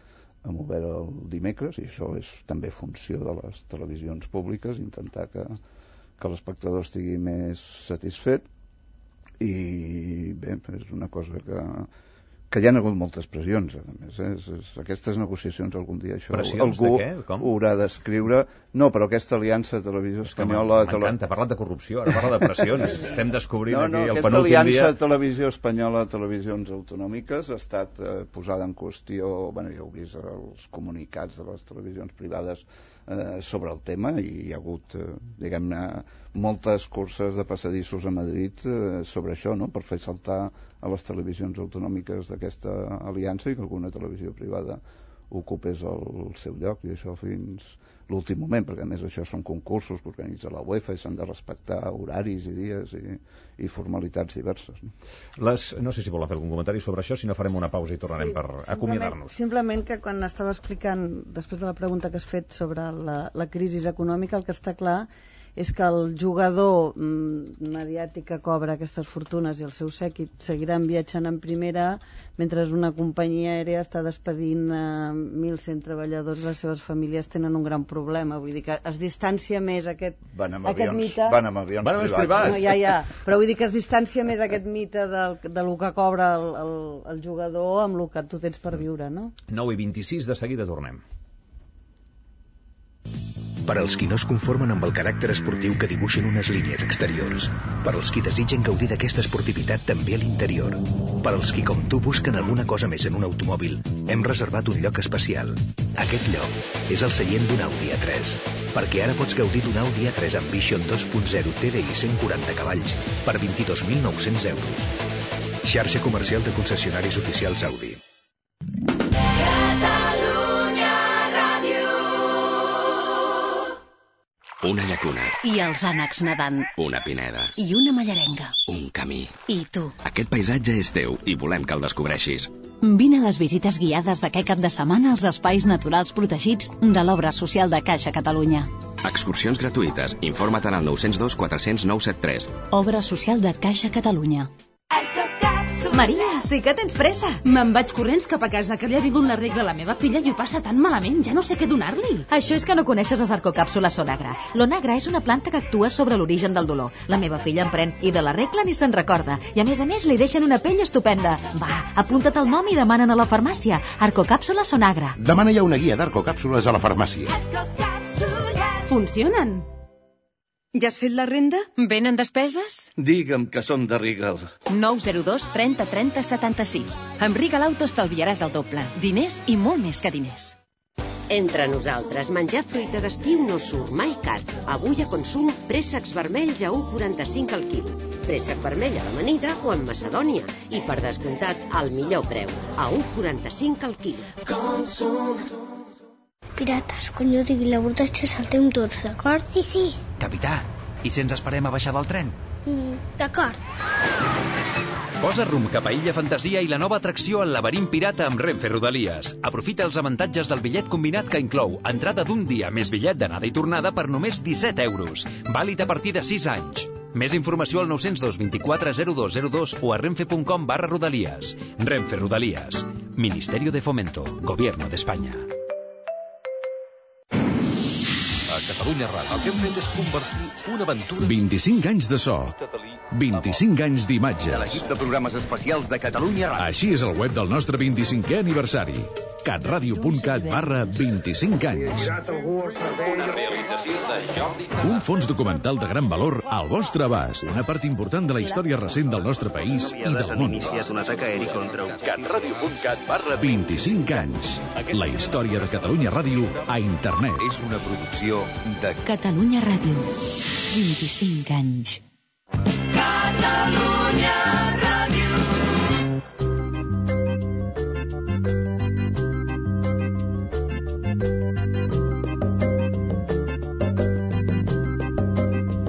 amb obert el dimecres, i això és també funció de les televisions públiques, intentar que l'espectador estigui més satisfet. I bé, és una cosa que hi ha hagut moltes pressions, a més, aquestes negociacions algun dia això pressions algú de què? Com? Ho haurà d'escriure. No, però aquesta aliança Televisió Espanyola... M'encanta, ha parlat de corrupció, ara parla de pressions. Estem descobrint aquí el penúltim dia... Aquesta aliança Televisió Espanyola, televisions autonòmiques, ha estat posada en qüestió, bueno, ja heu vist els comunicats de les televisions privades sobre el tema, i hi ha hagut, diguem-ne, moltes curses de passadissos a Madrid sobre això, no?, per fer saltar a les televisions autonòmiques d'aquesta aliança i que alguna televisió privada ocupés el seu lloc, i això fins l'últim moment, perquè a més això són concursos que organitza la UEFA i s'han de respectar horaris i dies i formalitats diverses, no? No sé si volen fer algun comentari sobre això, si no farem una pausa i tornarem per acomiadar-nos. Simplement que quan estava explicant, després de la pregunta que has fet sobre la crisi econòmica, el que està clar és que el jugador mediàtic que cobra aquestes fortunes i el seu sèquit seguiran viatjant en primera, mentre una companyia aèria està despedint 1.100 treballadors, les seves famílies tenen un gran problema. Vull dir que es distància més aquest mite... Van amb avions privats. No, ja, però vull dir que es distància més aquest mite de lo que cobra el jugador amb el que tu tens per viure, no? 9:26, de seguida tornem. Per als qui no es conformen amb el caràcter esportiu que dibuixen unes línies exteriors. Per als qui desitgen gaudir d'aquesta esportivitat també a l'interior. Per als qui, com tu, busquen alguna cosa més en un automòbil, hem reservat un lloc especial. Aquest lloc és el seient d'un Audi A3. Perquè ara pots gaudir d'un Audi A3 Ambition 2.0 TDI 140 cavalls per 22.900 euros. Xarxa comercial de concessionaris oficials Audi. Una llacuna. I els ànecs nedant. Una pineda. I una mallarenga. Un camí. I tu. Aquest paisatge és teu i volem que el descobreixis. Vine a les visites guiades d'aquest cap de setmana als espais naturals protegits de l'obra social de Caixa Catalunya. Excursions gratuïtes. Informa't al 902 400 973. Obra social de Caixa Catalunya. Maria, sí que tens pressa. Me'n vaig corrents cap a casa, que li ha vingut la regla a la meva filla i ho passa tan malament, ja no sé què donar-li. Això és que no coneixes les arcocàpsules Sonagra. L'Onagra és una planta que actua sobre l'origen del dolor. La meva filla en pren i de la regla ni se'n recorda. I a més li deixen una pell estupenda. Va, apunta't el nom i demanen a la farmàcia. Arcocàpsula Sonagra. Demana ja una guia d'arcocàpsules a la farmàcia. Funcionen. Ja has fet la renda? Venen despeses? Digue'm que som de Regal. 902 30 30 76. Amb Regal Auto estalviaràs el doble. Diners i molt més que diners. Entre nosaltres, menjar fruita d'estiu no surt mai car. Avui a Consum, préssecs vermells a 1,45 al quilo. Préssec vermell a l'amanida o en Macedònia. I per descomptat, al millor preu, a 1,45 al quilo. Consum. Pirates, quan jo digui l'abordatge saltem tots, d'acord? Sí, sí. Capità, i si ens esperem a baixar del tren? D'acord. Posa rumb cap a Illa Fantasia i la nova atracció al laberint pirata amb Renfe Rodalies. Aprofita els avantatges del bitllet combinat que inclou entrada d'un dia més bitllet d'anada i tornada per només 17 euros. Vàlid a partir de 6 anys. Més informació al 902 24 0202 o a renfe.com/rodalies. Renfe Rodalies. Ministerio de Fomento. Gobierno de España. Catalunya Ràdio. El que hem fet és convertir una aventura... 25 anys de so, 25 anys d'imatges. De l'equip de programes especials de Catalunya Ràdio. Així és el web del nostre 25è aniversari. catradio.cat/25 anys. Una realització de Jordi Canal. Un fons documental de gran valor al vostre abast. Una part important de la història recent del nostre país i del món. Catradio.cat/25 anys. La història de Catalunya Ràdio a internet. És una producció de Catalunya Ràdio. 25 anys. Catalunya Ràdio.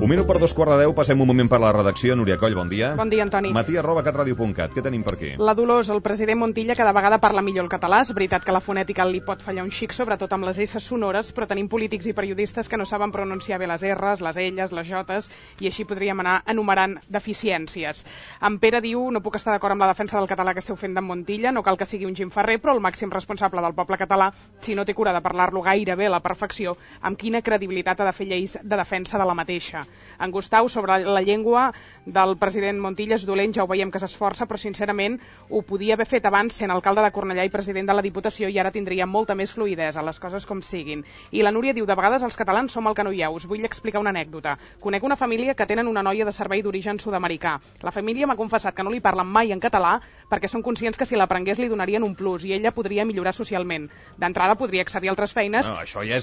Un minut per 2:15, passem un moment per la redacció. Núria Coll, bon dia. Bon dia, Antoni. Matí@catradio.cat. Què tenim per aquí? La Dolors, el president Montilla cada vegada parla millor el català. És veritat que la fonètica li pot fallar un xic, sobretot amb les S sonores, però tenim polítics i periodistes que no saben pronunciar bé les R's, les L's, les J's, i així podríem anar enumerant deficiències. En Pere diu: no puc estar d'acord amb la defensa del català que esteu fent d'en Montilla, no cal que sigui un Jim Ferrer, però el màxim responsable del poble català, si no té cura de parlar-lo gairebé a la perfecció, amb quina credibilitat ha de fer lleis de defensa de la mateixa. En Gustau, sobre la llengua del president Montilla és dolent, ja ho veiem que s'esforça, però sincerament ho podia haver fet abans sent alcalde de Cornellà i president de la Diputació i ara tindria molta més fluïdesa, les coses com siguin. I la Núria diu: de vegades els catalans som el que no hi ha. Us vull explicar una anècdota. Conec una família que tenen una noia de servei d'origen sud-americà. La família m'ha confessat que no li parlen mai en català perquè són conscients que si l'aprengués li donarien un plus i ella podria millorar socialment. D'entrada podria accedir a altres feines. No, això ja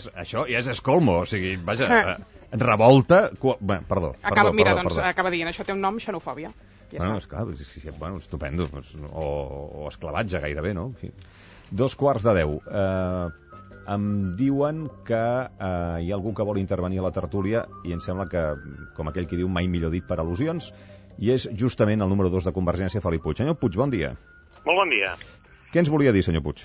és escolmo, o sigui, vaja... Revolta... Perdó. Acaba dient, això té un nom, xenofòbia. Ja està. Bueno, estupendo. O esclavatge, gairebé, no? En fi. 9:45. Em diuen que hi ha algú que vol intervenir a la tertúlia i em sembla que, com aquell que diu, mai millor dit per al·lusions, i és justament el número 2 de Convergència, Felip Puig. Senyor Puig, bon dia. Molt bon dia. Què ens volia dir, senyor Puig?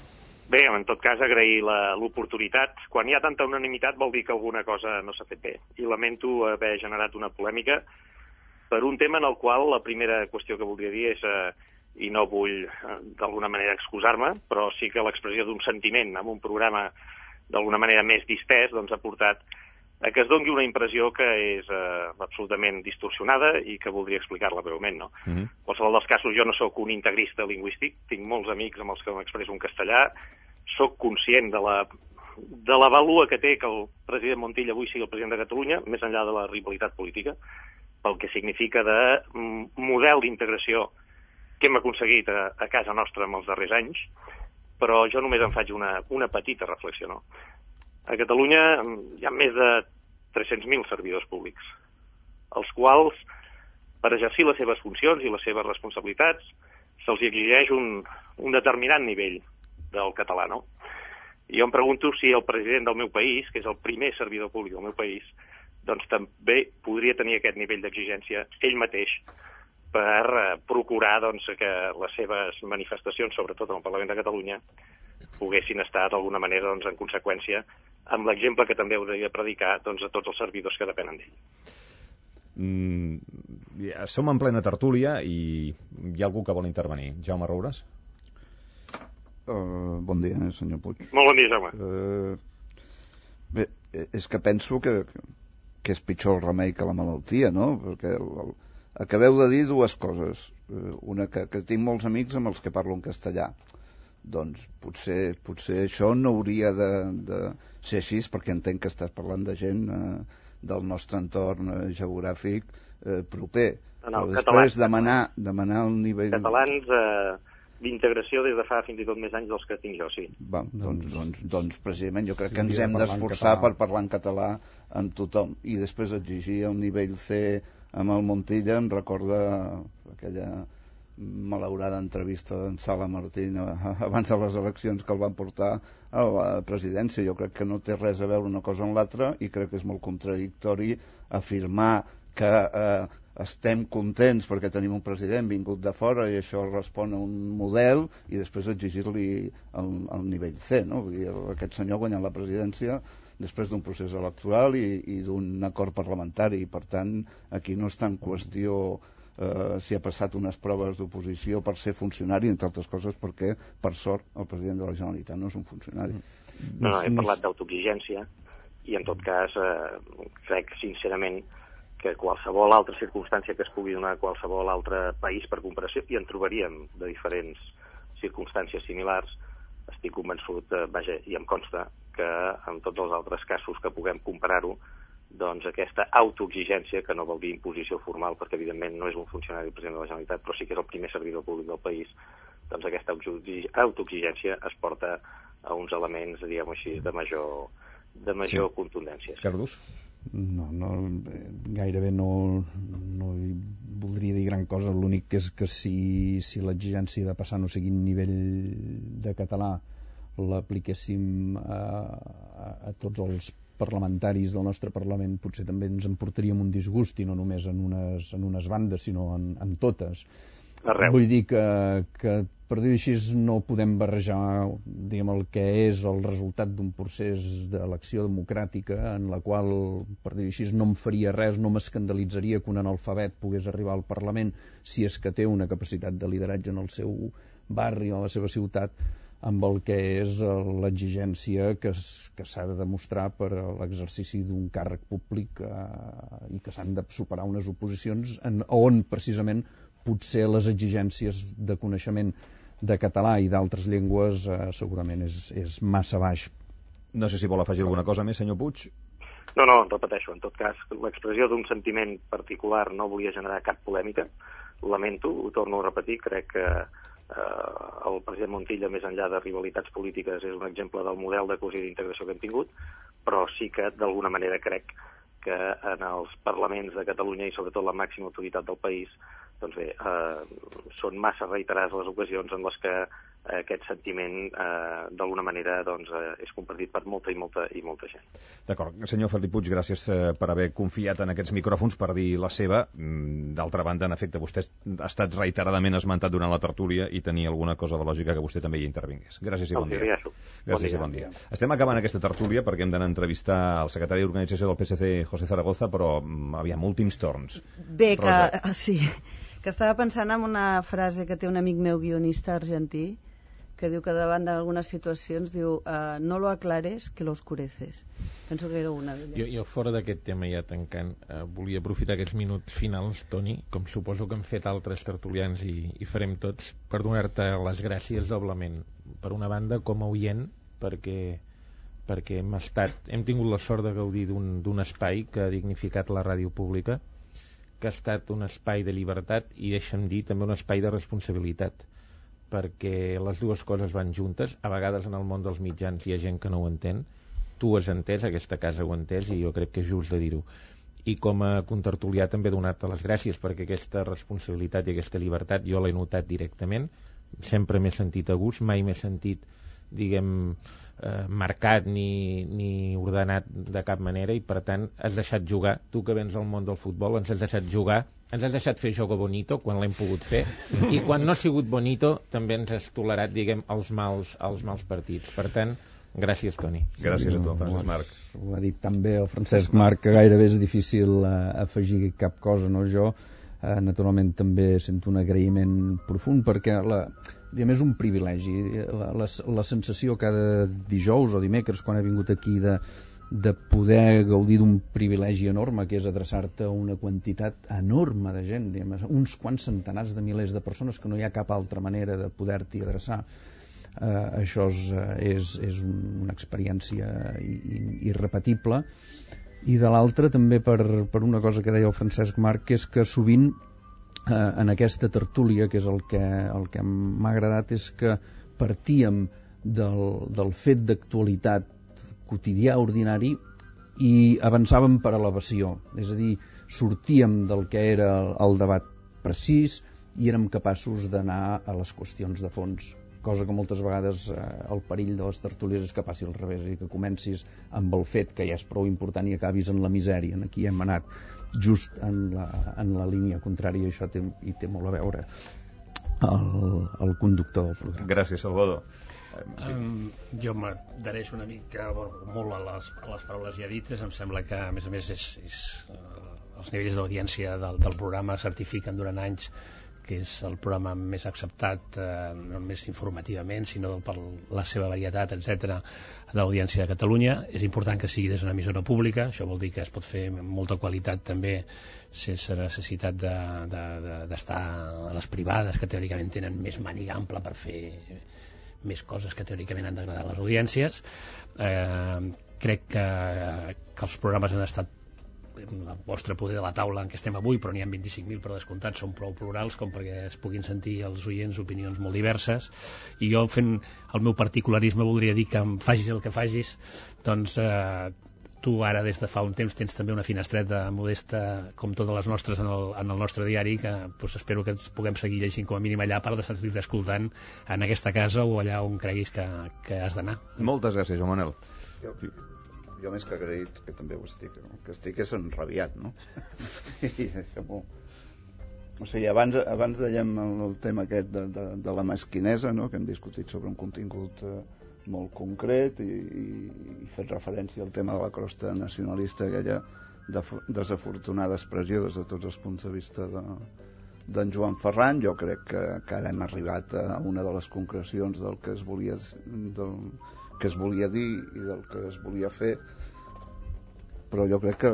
Bé, en tot cas, agrair l'oportunitat. Quan hi ha tanta unanimitat vol dir que alguna cosa no s'ha fet bé. I lamento haver generat una polèmica per un tema en el qual la primera qüestió que voldria dir és, i no vull d'alguna manera excusar-me, però sí que l'expressió d'un sentiment en un programa d'alguna manera més distès doncs, ha portat a que es doni una impressió que és absolutament distorsionada i que voldria explicar-la breument. No? En qualsevol dels casos, jo no sóc un integrista lingüístic, tinc molts amics amb els que m'expresso en castellà, sóc conscient de la vàlua que té que el president Montilla avui sigui el president de Catalunya, més enllà de la rivalitat política, pel que significa de model d'integració que hem aconseguit a casa nostra en els darrers anys, però jo només em faig una petita reflexió. No? A Catalunya hi ha més de 300.000 servidors públics, als quals, per exercir les seves funcions i les seves responsabilitats, se'ls exigeix un determinat nivell del català. No? I jo em pregunto si el president del meu país, que és el primer servidor públic del meu país, doncs també podria tenir aquest nivell d'exigència ell mateix per procurar doncs, que les seves manifestacions, sobretot en el Parlament de Catalunya, poguessin estar d'alguna manera doncs, en conseqüència amb l'exemple que també hauria de predicar doncs, a tots els servidors que depenen d'ell. som en plena tertúlia i hi ha algú que vol intervenir. Jaume Roures? Bon dia, senyor Puig. Molt bon dia, Jaume. Bé, és que penso que és pitjor el remei que la malaltia, no? Perquè acabeu de dir dues coses. Una, que tinc molts amics amb els que parlo en castellà. Doncs potser això no hauria de ser així, perquè entenc que estàs parlant de gent del nostre entorn geogràfic proper. No, però després demanar el nivell... Catalans d'integració des de fa fins i tot més anys dels que tinc jo, sí. Doncs precisament jo crec que ens hem d'esforçar per parlar en català amb tothom, i després exigir el nivell C amb el Montilla. Em recorda aquella malaurada entrevista d'en Sala Martín abans de les eleccions que el van portar a la presidència. Jo crec que no té res a veure una cosa amb l'altra, i crec que és molt contradictori afirmar que estem contents perquè tenim un president vingut de fora i això respon a un model, i després exigir-li el nivell C, no? Vull dir, aquest senyor ha guanyat la presidència després d'un procés electoral i d'un acord parlamentari, i per tant aquí no està en qüestió si ha passat unes proves d'oposició per ser funcionari, entre altres coses perquè, per sort, el president de la Generalitat no és un funcionari. No, he parlat d'autoexigència, i en tot cas crec sincerament que qualsevol altra circumstància que es pugui donar a qualsevol altre país per comparació, i en trobaríem de diferents circumstàncies similars, estic convençut, i em consta, que en tots els altres casos que puguem comparar-ho, doncs aquesta autoexigència, que no vol dir imposició formal, perquè evidentment no és un funcionari del president de la Generalitat, però sí que és el primer servidor públic del país, doncs aquesta autoexigència es porta a uns elements, diguem-ho així, de major contundència. Cardús? No, gairebé no hi voldria dir gran cosa. L'únic és que si l'exigència de passar no sigui nivell de català l'apliquéssim a tots els parlamentaris del nostre Parlament, potser també ens en portaríem un disgust, i no només en unes bandes, sinó en totes. Vull dir que per dir així no podem barrejar, diguem, el que és el resultat d'un procés d'elecció democràtica en la qual, per dir així, no em faria res, no m'escandalitzaria que un analfabet pogués arribar al Parlament si és que té una capacitat de lideratge en el seu barri o a la seva ciutat, amb el que és l'exigència que s'ha de demostrar per a l'exercici d'un càrrec públic i que s'han de superar unes oposicions on precisament potser les exigències de coneixement de català i d'altres llengües segurament és massa baix. No sé si vol afegir alguna cosa més, senyor Puig. No, repeteixo, en tot cas, l'expressió d'un sentiment particular no volia generar cap polèmica, lamento, ho torno a repetir, crec que el president Montilla, més enllà de rivalitats polítiques, és un exemple del model de cohesió i d'integració que hem tingut, però sí que d'alguna manera crec que en els parlaments de Catalunya i sobretot la màxima autoritat del país, doncs bé, són massa reiterades les ocasions en les que aquest sentiment d'alguna manera és compartit per molta gent. D'acord. Senyor Felip Puig, gràcies per haver confiat en aquests micròfons per dir la seva. D'altra banda, en efecte, vostè ha estat reiteradament esmentat durant la tertúlia i tenia alguna cosa de lògica que vostè també hi intervingués. Gràcies i bon dia. Gràcies i bon dia. Estem acabant aquesta tertúlia perquè hem d'anar a entrevistar el secretari d'organització del PSC, José Zaragoza, però aviam, últims torns. Bé, que estava pensant en una frase que té un amic meu guionista argentí, que diu que davant d'algunes situacions diu no lo aclares, que lo oscureces. Penso que era una d'elles. Jo fora d'aquest tema ja tancant, volia aprofitar aquests minuts finals, Toni, com suposo que han fet altres tertulians i farem tots, per donar-te les gràcies doblement. Per una banda, com a oient, perquè hem tingut la sort de gaudir d'un espai que ha dignificat la ràdio pública, que ha estat un espai de llibertat i, deixa'm dir, també un espai de responsabilitat, perquè les dues coses van juntes. A vegades en el món dels mitjans hi ha gent que no ho entén, tu ho has entès, aquesta casa ho ha entès, i jo crec que és just de dir-ho. I com a contertulià també donar-te les gràcies, perquè aquesta responsabilitat i aquesta llibertat jo l'he notat directament, sempre m'he sentit a gust, mai m'he sentit, diguem, marcat ni ordenat de cap manera, i per tant has deixat jugar, tu que vens al món del futbol ens has deixat jugar, ens has deixat fer jogo bonito quan l'hem pogut fer, i quan no ha sigut bonito també ens has tolerat, diguem, els mals partits. Per tant, gràcies, Toni. Gràcies a tu, Francesc Marc. Ho ha dit també el Francesc Marc, que gairebé és difícil afegir cap cosa, no? Jo Naturalment també sento un agraïment profund perquè és un privilegi. La sensació cada dijous o dimecres quan he vingut aquí de poder gaudir d'un privilegi enorme, que és adreçar-te a una quantitat enorme de gent, uns quants centenars de milers de persones que no hi ha cap altra manera de poder-t'hi adreçar. Això és una experiència irrepetible. I de l'altra també per una cosa que deia el Francesc Marc, que és que sovint en aquesta tertúlia, que és el que m'ha agradat, és que partíem del fet d'actualitat quotidià, ordinari, i avançàvem per elevació, és a dir, sortíem del que era el debat precís i érem capaços d'anar a les qüestions de fons, cosa que moltes vegades el perill de les tertúlies és que passi al revés, i que comencis amb el fet que ja és prou important i acabis en la misèria. Aquí hem anat just en la línia contrària, i això té molt a veure el conductor del programa. Gràcies, Salvador. Jo m'adhereixo una mica molt a les paraules ja dites. Em sembla que, a més, els nivells d'audiència del programa certifiquen durant anys que és el programa més acceptat, no només informativament, sinó per la seva varietat, etc., de l'audiència de Catalunya. És important que sigui des d'una emissora pública, això vol dir que es pot fer amb molta qualitat també, sense necessitat d'estar a les privades, que teòricament tenen més màniga ampla per fer més coses que teòricament han d'agradar a les audiències. Crec que els programes han estat el vostre poder de la taula en què estem avui, però n'hi ha 25.000 per descomptat, són prou plurals com perquè es puguin sentir els oients opinions molt diverses, i jo, fent el meu particularisme, voldria dir que em facis el que facis, doncs tu ara des de fa un temps tens també una finestreta modesta com totes les nostres en el nostre diari, que espero que ens puguem seguir llegint com a mínim allà, a part de sentir-te escoltant en aquesta casa o allà on creguis que has d'anar. Moltes gràcies, Joan Manel. Jo més que agraït, que també ho estic, que estic és enrabiat, no? O sigui, abans dèiem el tema aquest de la mesquinesa, no? Que hem discutit sobre un contingut molt concret i fet referència al tema de la crosta nacionalista, aquella desafortunada expressió des de tots els punts de vista d'en Joan Ferran. Jo crec que ara hem arribat a una de les concrecions del que es volia dir i del que es volia fer, però jo crec que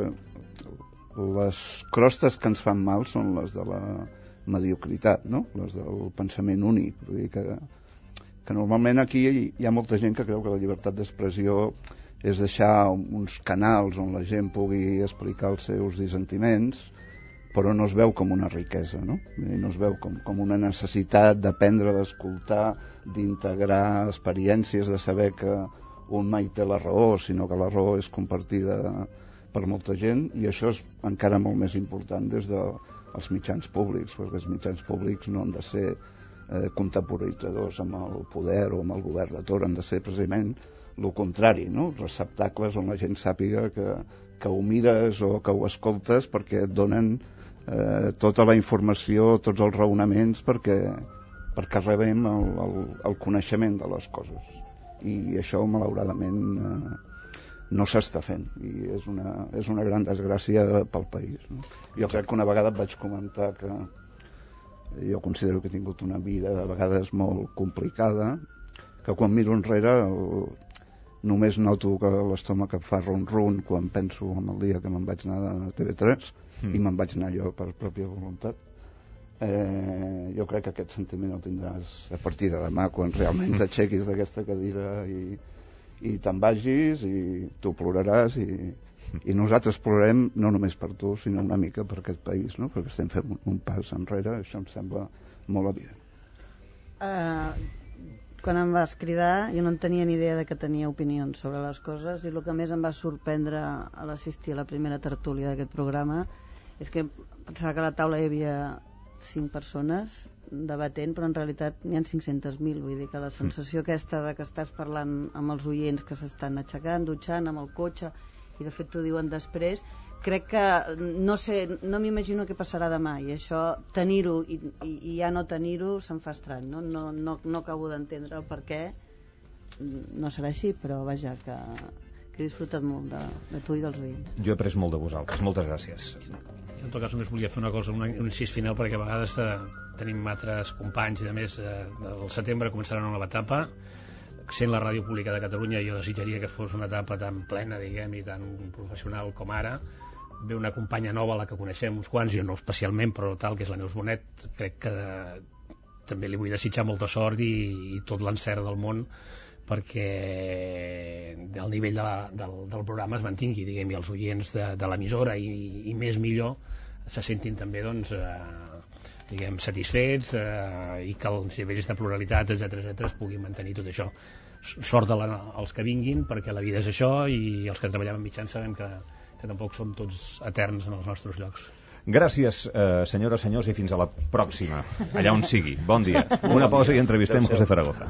les crostes que ens fan mal són les de la mediocritat, no? Les del pensament únic. Vull dir que normalment aquí hi ha molta gent que creu que la llibertat d'expressió és deixar uns canals on la gent pugui explicar els seus dissentiments, però no es veu com una riquesa, no? No es veu com una necessitat d'aprendre, d'escoltar, d'integrar experiències, de saber que un mai té la raó, sinó que la raó és compartida per molta gent, i això és encara molt més important des dels mitjans públics, perquè els mitjans públics no han de ser contemporitzadors amb el poder o amb el govern de torn, han de ser precisament el contrari, no? Receptacles on la gent sàpiga que ho mires o que ho escoltes perquè et donen tota la informació, tots els raonaments perquè rebem el coneixement de les coses, i això malauradament no s'està fent, i és una gran desgràcia pel país, no? Jo crec que una vegada et vaig comentar que jo considero que he tingut una vida a vegades molt complicada, que quan miro enrere només noto que l'estómac em fa ron-ron quan penso en el dia que me'n vaig anar a TV3 i me'n vaig anar jo per pròpia voluntat. Jo crec que aquest sentiment el tindràs a partir de demà, quan realment t'aixequis d'aquesta cadira i te'n vagis, i tu ploraràs, i nosaltres plorarem no només per tu, sinó una mica per aquest país, no? Perquè estem fent un pas enrere, això em sembla molt evident. Quan em vas cridar jo no en tenia ni idea de que tenia opinions sobre les coses, i el que més em va sorprendre a l'assistir a la primera tertúlia d'aquest programa és que pensava que a la taula hi havia 5 persones debatent, però en realitat n'hi ha 500.000, vull dir que la sensació aquesta de que estàs parlant amb els oients que s'estan aixecant, dutxant, amb el cotxe, i de fet t'ho diuen després, crec que no m'imagino què passarà demà, i això, tenir-ho i ja no tenir-ho, se'm fa estrany, no acabo d'entendre el per què. No serà així, però vaja, que que he disfrutat molt de tu i dels veïns. Jo he après molt de vosaltres, moltes gràcies. En tot cas només volia fer una cosa, un incís final, perquè a vegades tenim altres companys i de més, del setembre començarà una nova etapa. Sent la ràdio pública de Catalunya, jo desitjaria que fos una etapa tan plena, diguem, i tan professional com ara. Ve una companya nova, la que coneixem uns quants, jo no especialment, però tal, que és la Neus Bonet. Crec que també li vull desitjar molta sort i tot l'encert del món perquè el nivell del programa es mantingui, diguem, i els oients de l'emissora i més millor se sentin també, doncs, diguem, satisfets i que els nivells de pluralitat, etc es puguin mantenir tot això. Sort als que vinguin, perquè la vida és això, i els que treballem en mitjans sabem que tampoc som tots eterns en els nostres llocs. Gràcies, senyores, senyors, i fins a la pròxima, allà on sigui. Bon dia. Una pausa i entrevistem José Zaragoza.